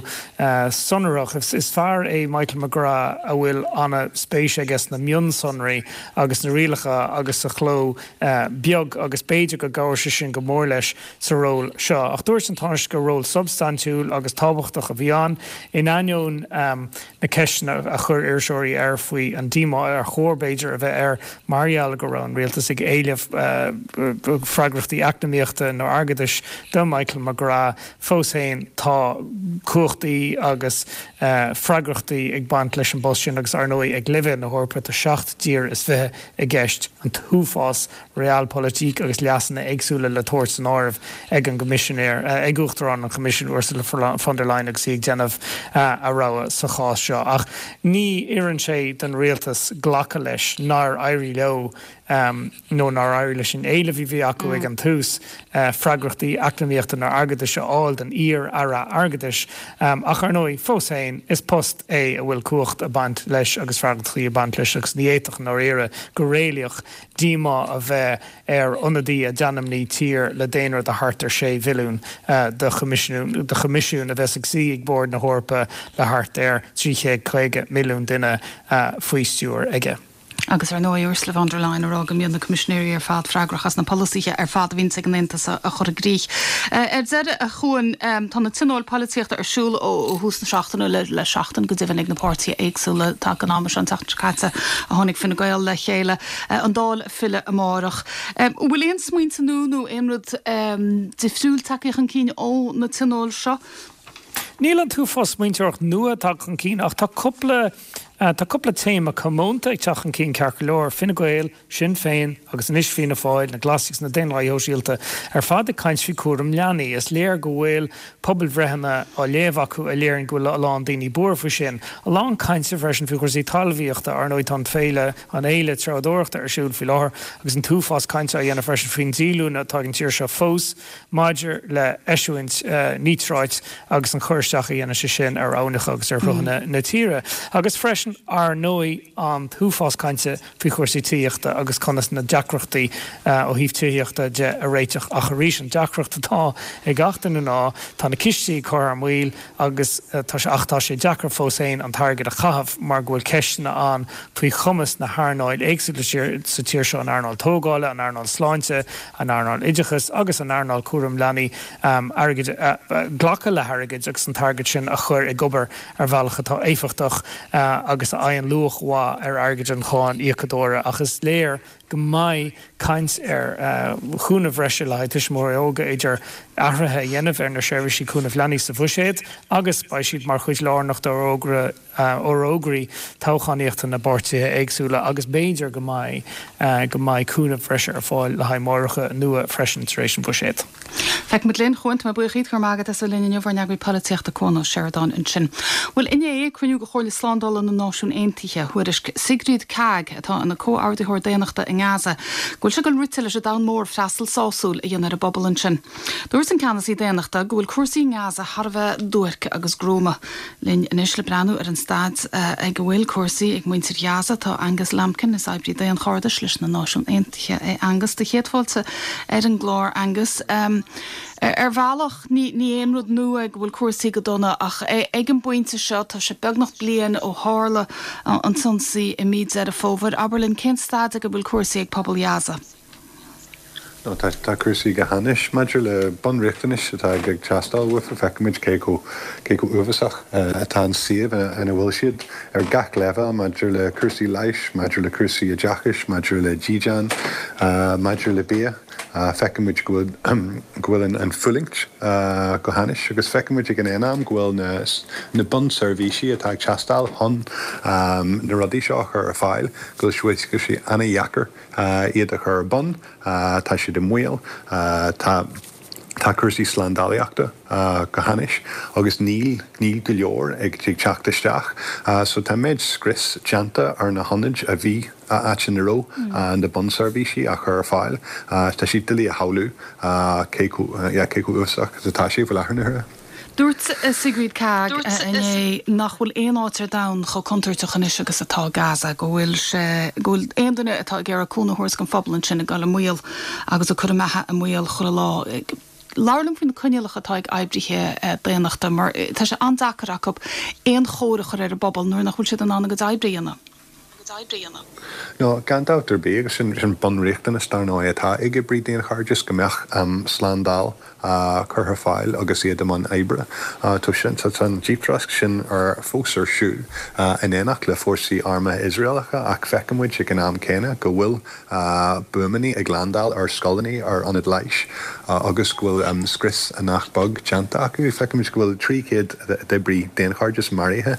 sonrach. Is fear é Michael McGrath a bhfuil ana-spéis aige sna mionsonraí agus sna rialacha agus sa chló beag agus b'fhéidir go gcabhróidh sé sin go mór leis sa ról seo. Ach dúirt an Tánaiste gur ról substaintiúil agus tábhachtach a bhí ann, in ainneoin na ceisteanna a chuir iriseoirí air faoi an díomá ar chóir b'fhéidir a bheith air mar gheall go raibh an rialtas ag éileamh freagrachtaí eacnamaíochta nó airgeadais do Michael McGrath. Fós féin, tá cumhachtaí agus freagrachtaí ag baint leis an bpost sin agus ar ndóigh ag leibhéal na hEorpa tá seacht dtír is fiche i gceist, an t-uafás realpolitik agus leasanna éagsúla le tabhairt san áireamh ag an gCoimisinéir, ag Uachtarán an Choimisiúin Ursula von der Leyen agus í ag déanamh a rogha sa chás seo. Ach ní oireann sé don rialtas glacadh leis nár éirigh leo nó nár éirigh leis an éileamh a bhí acu ag an tús, freagrachtaí eacnamaíochta nó airgeadais a fháil don iar-aire airgeadais. Ach ar ndóigh, fós féin, is post é a bhfuil cumhacht ag baint leis agus freagrachtaí ag baint leis agus ní fhéadfadh, i ndáiríre, go réalaíoch, díomá a bheith ar ionadaí a d'ainmnigh tír le daonra de thart ar sé mhilliún do choimisiún a bheas ag suí ag bord na hEorpa le thart ar trí chéad caoga milliún duine faoi stiúir aige. Agus ar ndóigh Ursula von der Leyen ag rá go mbíonn na coimisinéirí ar fad freagrach as na polasaithe ar fad a bhíonns ag an Aontas a chur i gcrích. Ar deireadh, a Chuain, tá na tionóil polaitíochta ar siúl ó thús na seachtaine, le le seachtain go deimhin ag na páirtithe éagsúla ag an am seo an tseachtain seo caite a tháinig Fine Gael le chéile, an Dáil ag filleadh amárach. An bhfuil aon smaointe nua nó aon rud difriúil tagtha chun cinn ó na tionóil seo? Níl an t-uafás smaointeoireacht nua tagtha chun cinn ach tá cúpla tá cúpla téama comónta ag teacht chun cinn ceart go leor, Fine Gael, Sinn Féin agus anois Fianna Fáil, na Glasaigh agus na Daonlathaigh Shóisialta ar fad ag caint faoi chúram leanaí. Is léir go bhfuil pobalbhreitheanna á léamh acu a léiríonn go bhfuil a lán daoine buartha faoi sin. A lán cainte freisin faoi chúrsaí talmhaíochta, ar ndóigh tá an féile an fhéile treabhdóireachta ar siúl faoi láthair agus an t-uafás cainte á dhéanamh freisin faoin díolúine atá ag an tír seo fós maidir le heisiúint níotráit agus an cur isteach a dhéanann sé sin ar aibhneacha agus ar shruthanna na tíre. Agus freisin, ar ndóigh, an t-uafás cainte faoi chúrsaí tithíochta agus conas na deacrachtaí ó thaobh tithíochta de a réiteach. Ach arís, an deacracht atá ag gach duine ná tá na cistí ag cur thar maoil agus tá sé, ach tá sé deacair fós féin an t-airgead a chaitheamh mar go bhfuil ceisteanna ann faoi chumas na hearnáil éagsúla sa tír seo, an earnáil tógála, an earnáil sláinte, an earnáil oideachais agus an earnáil cúram leanaí, airgead, glacadh le hairgead agus an t-airgead sin a chur ag obair ar bhealach atá éifeachtach agus a fhaigheann luach mhaith ar airgead an cháin íocadóra. Ach is léir go mbeidh caint ar chúnamh bhreise le haghaidh tuismitheoirí óga idir athruithe a dhéanamh ar na seirbhísí cúnaimh leanaí sa bhuiséad agus beidh siad mar chuid lárnach d'fhorógraí toghchánaíochta na bpáirtithe éagsúla agus b'fhéidir go mbeidh go mbeidh cúnamh breise ar fáil le haghaidh máithreacha nua freisin tar éis an bhuiséid. Feicfimid linn, a Chuain, tá mé buíoch díot, go raibh maith agat as a bheith linn inniu, ár n-eagraí polaitíochta Cuan Ó Seireadáin ansin. Bhuel, inné, cruinniú de Chomhairle Slándála na Náisiún Aontaithe, thuairisc Sigrid Kaag, atá ina comhordaitheoir daonnachta i nGaza, go bhfuil sé ag dul rite leis an domhan mór freastal sásúil a dhéanamh ar an bpobal ansin. Dúirt an ceannasaí daonnachta go bhfuil cúrsaí i nGaza thar a bheith duairc agus gruama. Linn anois le breathnú ar an staid ag a bhfuil cúrsaí ag muintir Ghaza tá Angus Lambkin, is oibrí daonchairdis leis na Náisiúin Aontaithe é Angus. Do chéad fáilte ar an gclár, Angus. Ar bhealach ní ní aon rud nua go bhfuil cúrsaí go dona ach ag an bpointe seo tá sé beagnach bliain ó tharla an t-ionsaí i mí Deireadh Fómhair. Abair linn cén staid ag a bhfuil cúrsaí ag pobal Ghaza. No, tá tá cúrsaí go hainnis maidir le bunriachtanais atá ag teastáil uathu feicimid cé chomh cé chomh uafásach atá an suíomh ina bhfuil siad ar gach leibhéal maidir le cúrsaí leighis, maidir le cúrsaí oideachais, maidir le dídean, maidir le bia. Feicimid go bhfuil go bhfuil an an fulaingt go hainnis agus feicimid ag an aon am go bhfuil na na bunseirbhísí atá ag teastáil chun na rudaí seo a chur ar fáil, go bhfuil go sé an-deacair iad a chur ar bun, tá siad i mbaol, tá tá cúrsaí slándálaíochta go hainnis agus níl níl go leor ag ag teacht isteach. So tá méid scrios déanta ar na hionaid a bhí áit ina raibh na bunseirbhísí á chur ar fáil. Tá siad doiligh a shamhlú cé cé chomh uafásach is atá sé faoi láthair na huaire. Dúirt Sigrid Kaag inné nach bhfuil aon áit ar domhan chomh contúirteach anois agus atá Gaza, go bhfuil sé go bhfuil aon duine atá ag iarraidh cúnamh a thabhairt don phobal ansin ag dul i mbaol agus ag cur a mbeatha i mbaol chuile lá. Labhair liom faoi na coinníollacha atá ag oibrithe daonnachta mar tá sé an-deacair acu aon chóir a chur ar an bpobal nuair nach bhfuil siad in ann a gcuid oibre a dhéanamh. No, gan dabht ar bith agus sin sin bunriachtanas dar ndóigh atá ag oibrí daonchairdis go mbeadh slándáil curtha ar fáil agus iad i mbun oibre. Tá sin tá an díptrasc sin ar fós ar siúl in éineacht le fórsaí armtha Iosraelacha ach feiceann muid ag an am céanna go bhfuil buamaí ag landáil ar scoileanna, ar ionaid leighis agus go bhfuil scrios nach beag déanta acu. Feiceann muid go bhfuil trí chéad d'oibrí daonchairdis maraithe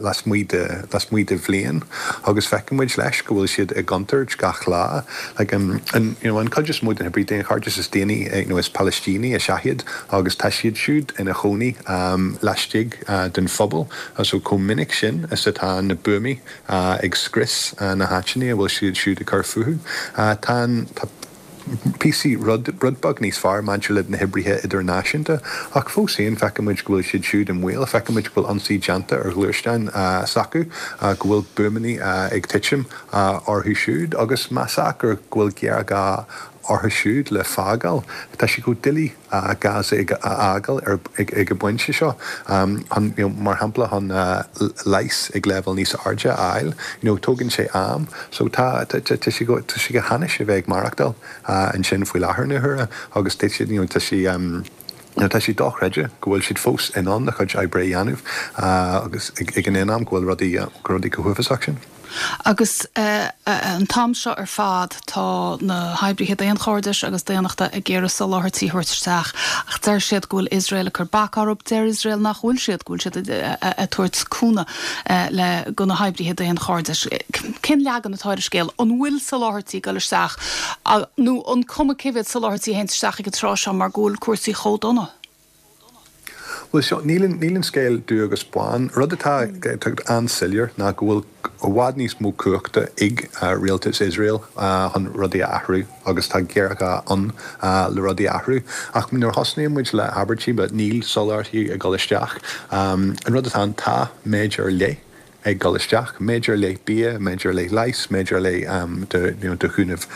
lasmuigh de lasmuigh de bhliain agus feiceann muid leis go bhfuil siad i gcontúirt gach lá. Like, um, an, you know, an chuid is mó den oibrí daonchairdis is daoine you know, is Palaistínigh is ea iad agus tá siad siúd ina chónaí um, laistigh uh, den phobal. So chomh minic sin is atá na buamaí uh, ag scrios uh, na háiteanna a bhfuil siad siúd ag cur fúthu. Uh, tá, tá píosa rud rud beag níos fearr maidir le na hoibrithe idirnáisiúnta, ach fós féin feiceann muid go bhfuil siad siúd i mbaol, feiceann muid go bhfuil ionsaí déanta ar ghluaisteáin s'acu, go bhfuil buamaí ag titim orthu siúd agus más ea go bhfuil géarghá orthu siúd le fágáil. Tá sé chomh doiligh Gaza a fhágáil ag an bpointe seo. Chun, you know, mar shampla chun leigheas ag leibhéal níos airde a fháil, you know, tógann sé am. So tá tá tá sé go tá sé go hainnis a bheith ag maireachtáil ansin faoi láthair na huaire agus tá siad, you know, tá sé um, you know, tá sé dochreidte go bhfuil siad fós in ann a chuid oibre a dhéanamh agus ag an aon am go bhfuil rudaí go rudaí chomh huafásach sin. Agus an t-am seo ar fad tá na hoibrithe daonchairdis agus daonnachta ag iarraidh soláthairtí a thabhairt isteach ach deir siad go bhfuil Iosrael ag cur bac orthu, deir Iosrael nach bhfuil siad, go bhfuil siad ag tabhairt cúnamh le go na hoibrithe daonchairdis. Cén leagan atá ar an scéal? An bhfuil soláthairtí ag dul isteach nó an cuma cé mhéad soláthairtí a théann isteach ag an tráth seo mar go bhfuil cúrsaí chomh dona? Bhuel seo, níl an, níl an scéal dubh agus bán. Rud atá an-soiléir ná go bhfuil i bhfad níos mó cumhachta ag rialtas Iosrael chun rudaí a athrú agus tá géarghá ann le rudaí a athrú. Ach nuair a thosnaíonn muid le habairtí but níl soláthairtí ag dul isteach, an rud atá ann, tá méid ar leith ag dul isteach, méid ar leith bia, méid ar leith leighis, méid ar leith de, you know, de chúnamh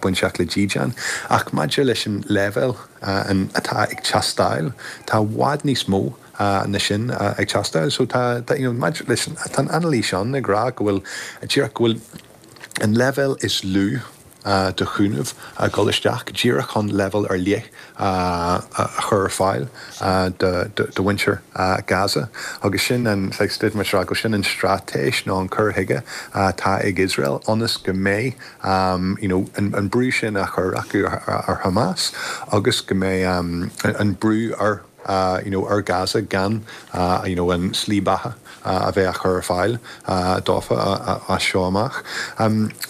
bainteach le dídean. Ach maidir leis an leibhéal atá ag teastáil, tá i bhfad níos mó ná sin ag teastáil. So tá, tá, you know, maidir leis an, tá an anailís ann ag rá go bhfuil, díreach go bhfuil an leibhéal is lú de chúnamh ag dul isteach díreach chun leibhéal ar leith a chur ar fáil do mhuintir Gaza. Agus sin an go sin an straitéis nó an cur chuige atá ag Iosrael ionas go mbeidh you know, an brú sin á chur acu ar Hamas agus go mbeidh an brú ar you know, ar Gaza gan you know, an slí beatha a bheith á chur ar fáil dófa as seo amach.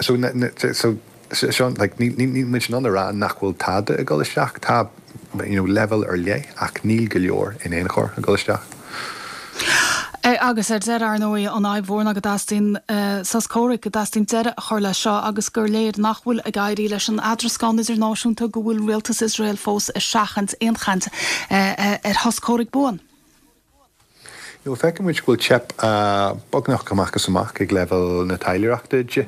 So, so Sean, like, níl níl muid in ann a rá nach bhfuil tada ag dul isteach, tá you know, leibhéal ar leith ach níl go leor in aon chor ag dul isteach. Agus ar deireadh, ar ndóigh, an fhadhb mhór ná go dteastaíonn sos comhraic, go dteastaíonn deireadh a chur leis seo agus gur léir nach bhfuil ag éirí leis an eadrascán idirnáisiúnta go bhfuil rialtas Iosrael fós ag seachaint aon chaint ar shos comhraic buan. You know, feiceann muid go bhfuil teip beagnach amach is amach ag leibhéal na taidhleoireachta de,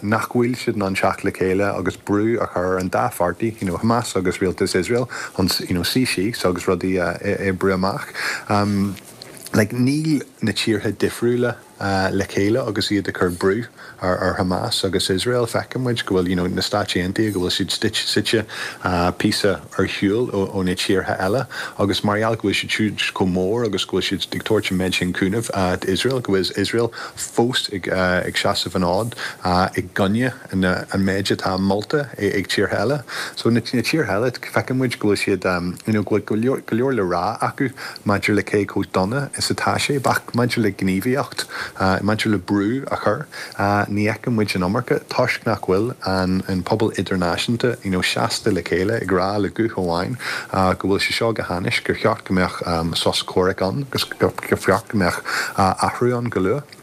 nach bhfuil siad in ann teacht le chéile agus brú a chur ar an dá pháirtí, you know, Hamas agus rialtas Iosrael, chun you know, suí síos agus rudaí a oibriú amach. Um, like, níl na tíortha difriúla le chéile agus iad ag cur brú ar, ar Hamas agus Iosrael. Feiceann muid go bhfuil you know, na Stáit Aontaithe go bhfuil siad suite píosa ar shiúl ó, ó na tíortha eile agus mar gheall go bhfuil siad siúd chomh mór agus go bhfuil siad ag tabhairt an méid sin cúnamh uh, d'Iosrael, go bhfuil Iosrael fós ag, uh, ag seasamh an fhóid uh, i gcoinne an, an méid atá molta ag, ag tíortha eile. So na, na tíortha eile feiceann muid go bhfuil siad um, you know, go bhfuil go leor, go leor le rá acu maidir le cé chomh dona is atá sé, ach maidir le gníomhaíocht maidir le brú a chur, ní fheiceann muid an iomarca toisc nach bhfuil an, an pobal idirnáisiúnta you know, seasta le chéile ag rá le guth amháin go bhfuil sé seo go hainnis gur cheart go mbeadh um, sos comhraic ann agus gur cheart go mbeadh uh, athrú ann go luath.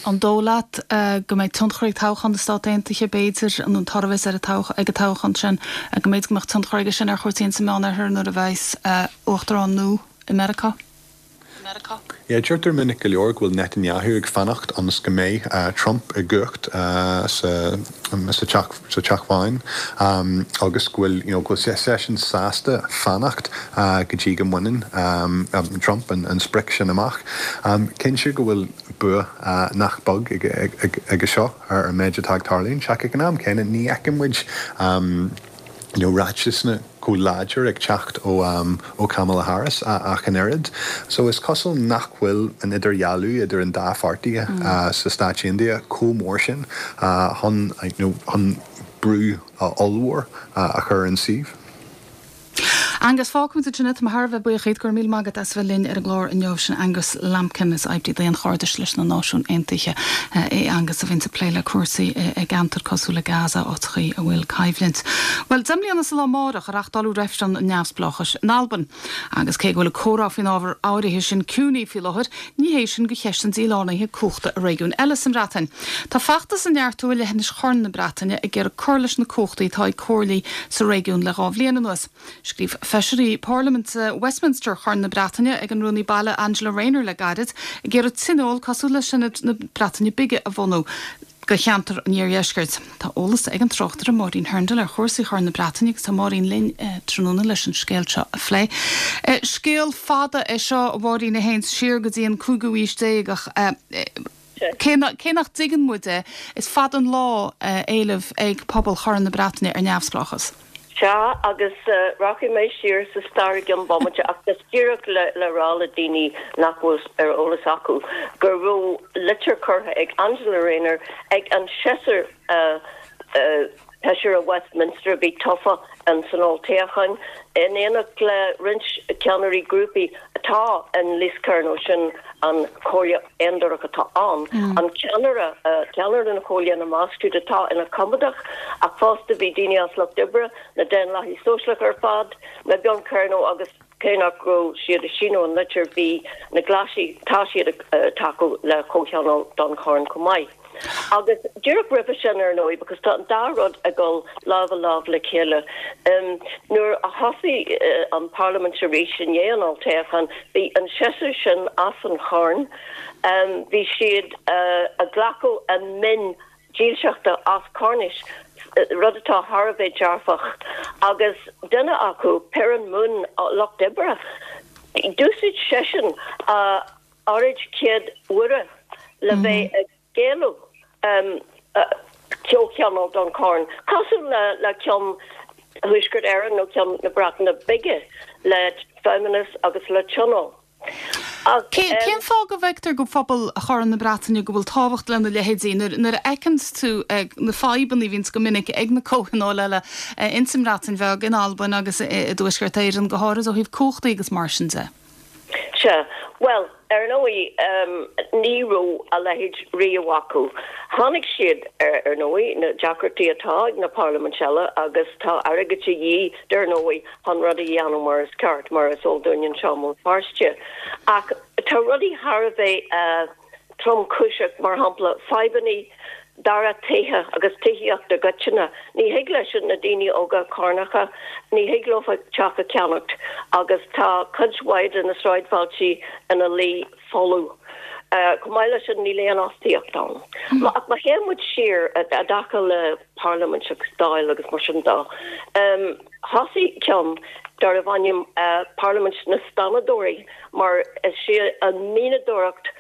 An dóigh leat go mbeidh tionchar ag toghchán na Stát Aontaithe b'fhéidir an an toradh ar ag an toghchán sin go mbeidh go mbeadh tionchar aige sin ar chúrsaí sa Mheánoirthear nuair a bheas uachtarán nua i Meiriceá? Meiriceá. Yeah, deirtear minic go leor go bhfuil Netanyahu ag fanacht ionas go mbeidh Trump i gcumhacht sa sa Teach sa Teach Bhán agus go bhfuil you know, go bhfuil seisean sásta fanacht go dtí go mbaineann Trump an an sprioc sin amach. Cinnte go bhfuil bua nach beag aige seo ar an méid atá ag tarlúint ach ag an am céanna ní fheiceann muid you know, ráitis chomh láidir ag teacht ó um, ó Kamala Harris ach an oiread. So is cosúil nach bhfuil an idirdhealú idir an dá pháirtí mm. uh, sa Stáit Aontaithe chomh mór sin uh, chun you know, chun brú uh, ollmhór uh, a chur an suíomh. Angus fágfaimid ansin é tá mé thar a bheith buíoch díot go raibh míle maith agat as bheith linn ar an gclár inniu sin Angus Lambkin is oibrí daonchairdis leis na Náisiúin Aontaithe é Angus a bhíonn ag plé le cúrsaí i gceantar cosúil le Gaza áiteachaí a bhfuil coimhlint. Well deich mbliana sa lá amárach a reáchtáladh reifreann neamhspleáchais in Albain. Agus cé go bhfuil comhrá faoin ábhar áirithe sin ciúin faoi láthair, ní hé sin do cheist an dílánaithe cumhachta i réigiún eile sa mBreatain. Tá feachtas ag neartú i leithinis Chorn na Breataine ag iarraidh cur leis na cumhachtaí atá ag comhairlí sa réigiún le dhá bhliain anuas. Scríobh Feisirí Parlaiminte Westminster Chorn na Breataine ag an Rúnaí Baile Angela Rayner le gairid ag iarraidh tionól cosúil le Seanad na Breataine Bige a bhunú do cheantar an Iardheiscirt. Tá eolas ag an tráchtaire Máirín Hurndall ar chúrsaí Chorn na Breataine agus tá Máirín linn eh, tráthnóna leis an scéal seo a phlé. Eh, scéal fada é seo a Mháirín a théann siar go dtí an cúigiú haois déag ach eh, cé nach dtuigeann muid é, is fada an lá éileamh ag pobal Chorn na Breataine ar neamhspleáchas. Sea, agus rachaidh mé siar sa stair i gcionn bomaite ach just díreach le le rá le daoine nach bhfuil ar eolas acu go raibh litir curtha ag Angela Rayner ag an seisear feisire Westminster a bhí tofa in san olltoghchán in éineacht le roinnt ceannairí grúpaí atá in Lys Kernow sin an Chomhairle Aondurach atá ann, an ceannaire, ceannaire na Comhairle ina measc siúd atá ina coimeádach, ach fosta bhí daoine as Lucht Oibre, na Daonlathaigh Sóisialacha ar fad, Mebyon Kernow agus cé nach raibh siad ag síniú an litir bhí na Glaisigh, tá siad ag tacú le comhthionól don Chorn chomh maith. Agus díreach roimhe sin, ar ndóigh, because tá an dá rud ag dul lámh i lámh le chéile, nuair a thosaigh an Parlaimint arís i ndiaidh an olltoghcháin, bhí an seisear sin as an Chorn, bhí siad ag glacadh a mionn dílseachta as Cornais, rud atá thar a bheith dearfach, agus duine acu, Perran Moon, Lucht Oibre, d'úsáid seisean a óráid chéad uaire le bheith ag géilleadh comhthionól don Chorn, cosúil le ceann Thuaisceart Éireann nó ceann na Breataine Bige, le feidhmeannas agus le tionól. Cén fáth go bhfeictear do phobal Chorn na Breataine go bhfuil tábhacht lena leithéidí nuair a fheiceann tú na fadhbanna a bhíonns go minic ag na comhthionóil eile ins an mBreatain Bheag, in Albain agus i dTuaisceart Éireann go háirid ó thaobh cumhachtaí agus mar sin de? Sea. Bhuel, ar ndóigh, ní raibh a leithéid riamh acu. Tháinig siad ar, ar ndóigh, na deacrachtaí atá ag na parlaimint eile agus tá airgead de dhíth, dar ndóigh, chun rud a dhéanamh mar is ceart, mar is eol dúinn anseo i mBéal Feirste. Ach tá rudaí thar a bheith tromchúiseach, mar shampla, fadhbanna dara tithe agus tithíocht i gcoitinne. Ní thig leis na daoine óga Cornacha, ní thig leofa teach a cheannacht agus tá cuid mhaith de na sráidbhailtí ina luí folamh. Chomh maith leis sin níl aon fhostaíocht ann. Ach má théann muid siar i dtaca le parlaimint agus dáil agus mar sin de, thosaigh ceann darbh ainm Parlaimint na Stánadóirí mar is í an mhianadóireacht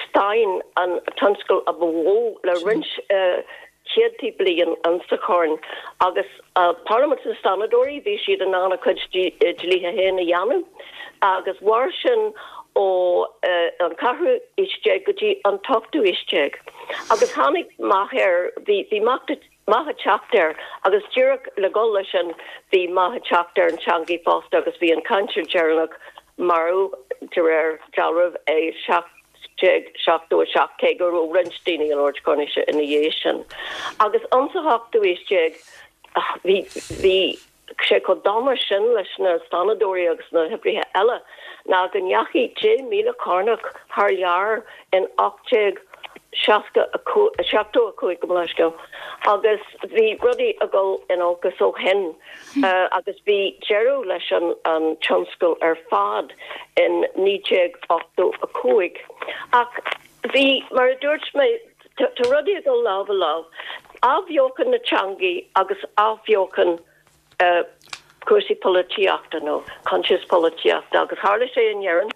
stáin an tionscal a ba mhó le roinnt céadtaí bliain insa Chorn agus Parlaimint na Stánadóirí bhí siad in ann a gcuid dlíthe féin a dhéanamh agus mhair sin ó an ceathrú haois déag go dtí an t-ochtú haois déag agus tháinig meath air, bhí meath ag teacht air agus díreach le dhul leis sin bhí meath ag teacht ar an teangaidh fosta agus bhí an cainteoir deireanach marbh de réir dealraimh i seacht déag seachtó a seacht cé go raibh roinnt daoine ag labhairt Coirnise ina dhiaidh sin. Agus insa ochtú haois déag bhí bhí sé chomh dona sin leis na stánadóirí agus na hoibrithe eile ná go ndeachaigh deich míle Cornach thar lear in ocht déag seasca a seachtó a cúig gabh mo leithscéal agus bhí rudaí ag dul in olcas ó shin agus bhí deireadh leis an an tionscal ar fad in naoi déag ochtó a cúig. Ach bhí, mar a dúirt mé, tá rudaí ag dul lámh i lámh, athbheochan na teangaí agus athbheochan cúrsaí polaitíochta nó coinsias polaitíochta agus tharla sé in Éirinn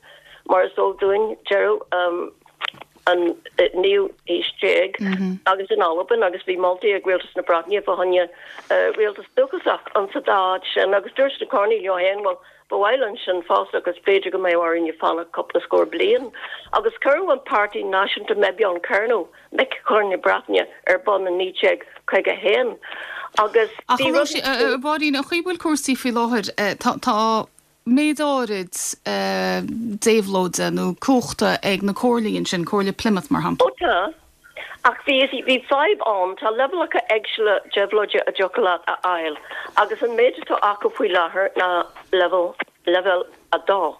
mar is eol dúinn deireadh an naoú haois déag agus in Albain agus bhí moltaí ag Rialtas na Breataine fá choinne rialtas dúchasach an sa dá áit sin agus dúirt na Coirnigh leo féin bhuel ba mhaith linn sin fosta agus b'fhéidir go mbeadh orainn fanacht cúpla scór bliain agus cuireadh an Páirtí Náisiúnta Mebyon Kernow Mic Chorn na Breataine ar bun in naoi déag caoga a haon agus Ach a Róisín, a Mháirín, an chaoi a bhfuil cúrsaí faoi láthair, tá, tá méid áirid déabhlóide nó cumhachta ag na comhairlí ansin, Comhairle Plymouth mar shampla. Ó tá. Ach bhí, bhí fadhb ann, tá leibhéalacha éagsúla déabhlóide a dtiocfadh leat a fháil agus an méid atá acu faoi láthair ná leibhéal, leibhéal a dó.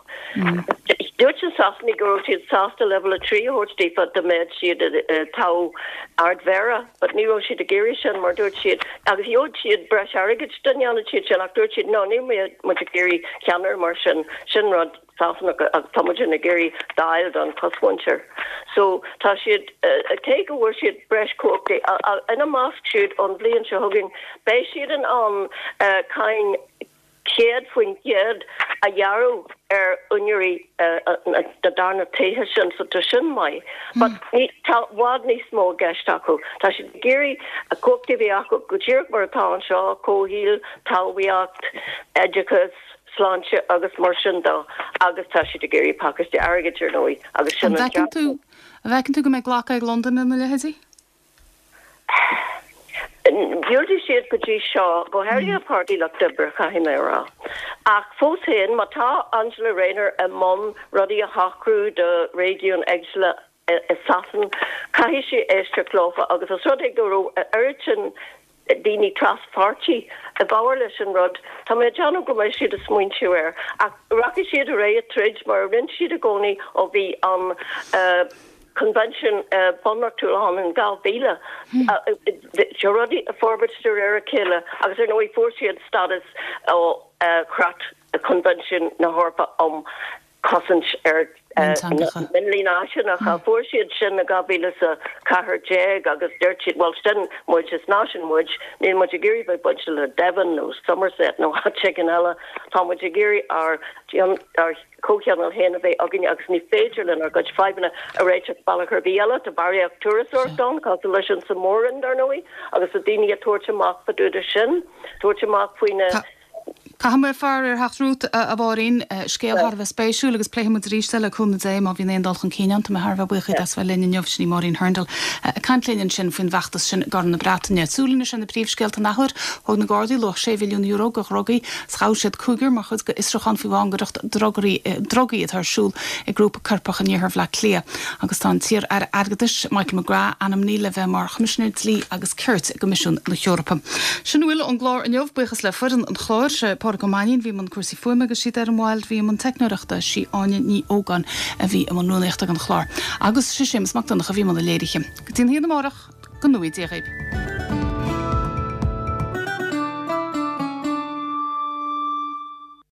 Dúirt na Sasanaigh go raibh siad sásta leibhéal a trí a thabhairt daofa dá mbeadh siad i dtoghadh Ard-Mhéara but ní raibh siad ag iarraidh sin mar dúirt siad, agus gheobhadh siad breis airgid dá ndéanfadh siad sin ach dúirt siad no níl muid ag iarraidh ceannaire mar sin, sin rud Sasanach agus tá muid ag iarraidh Dáil don chosmhuintir. So tá siad, cé go bhfuair siad breis cumhachtaí, ina measc siúd ón bhliain seo chugainn beidh siad in ann cáin céad faoin gcéad a ghearradh ar úinéirí na darna tithe sin so tá sin maith. But ní, tá i bhfad níos mó i gceist acu. Tá siad ag iarraidh a cumhachtaí a bheith acu go díreach mar atá anseo, comhshaoil, talmhaíocht, oideachas, sláinte agus mar sin de agus tá siad ag iarraidh pacáiste airgid ar ndóigh agus sin An an bhfeiceann tú, an bhfeiceann tú go mbeidh glacadh ag Londain lena leithéidí? Dhiúltaigh siad go dtí seo, go háirithe Páirtí Lucht Oibre, caithfidh mé a rá. Ach fós féin, má tá Angela Rayner i mbun rudaí a shocrú do réigiúin éagsúla i Sasain, caithfidh sí éisteacht leofa agus os rud é go raibh a oiread sin daoine tras-pháirtí i bhfabhar leis an rud, tá mé ag déanamh go mbeidh siad ag smaointiú air. Ach rachaidh siad ar aghaidh ag troid mar a rinne siad i gcónaí ó bhí an Coinbhinsiún Bunreachtúil ann in dhá mhíle. Tá rudaí ag forbairt de réir a chéile agus ar ndóigh fuair siad stádas ó Chreat Choinbhinsiún na hEorpa um Chosaint ar Mhionlaigh Náisiúnacha. Fuair siad sin i dhá mhíle is a ceathair déag agus dúirt siad bhuel sin muid, is náisiún muid, níl muid ag iarraidh bheith bainte le Devon nó Somerset nó áit éigin eile, tá muid ag iarraidh ár comhthionól féin a bheith againn agus ní féidir linn ár gcuid fadhbanna a réiteach bealach ar bith eile. Tá barraíocht turasóireachta ann, cosúil leis an sa Mhór-Roinn, dar ndóigh, agus tá daoine ag tabhairt amach fá dtaobh de sin, tabhairt amach faoi na. Caithfidh mé faire ar theacht romhat, a Mháirín. Scéal thar a bheith spéisiúil agus pléifidh muid arís é le cúnamh Dé má bhíonn aon dul chun cinn ann. Tá mé thar a bheith buíoch díot as bheith linn inniu. Sin í Máirín Hurndall ag caint linn ansin faoin bhfeachtas sin i gCorn na Breataine. Súil anois ar na príomhscéalta an athuair. Thóg na Gardaí luach sé mhilliún euro de dhrugaí 's ghabh siad cúigear mar chuid d'fhiosrúchán faoi mhangaireacht drugaí atá ar siúl ag grúpa coirpeach in iarthar Bhaile Átha Cliath. Agus tá an t-iar-aire airgeadais, Michael McGrath, ainmnithe le bheith mar Choimisinéir Dlí agus Cirt i gCoimisiún na hEorpa. Sin a bhfuil ón gclár inniu. Buíochas le foireann an chláir, sé Pádraig Ó Mainnín a bhí i mbun cúrsaí fuaime agus sí Doireann Wilde a bhí i mbun teicneoireachta, sí Áine Ní Ógáin a bhí i mbun rúnaíochta don chlár agus sé Séamus Mac Donncha a bhí i mbun na léirithe. Go dtí an haon amárach, go ngnóthaí Dia dhaoibh.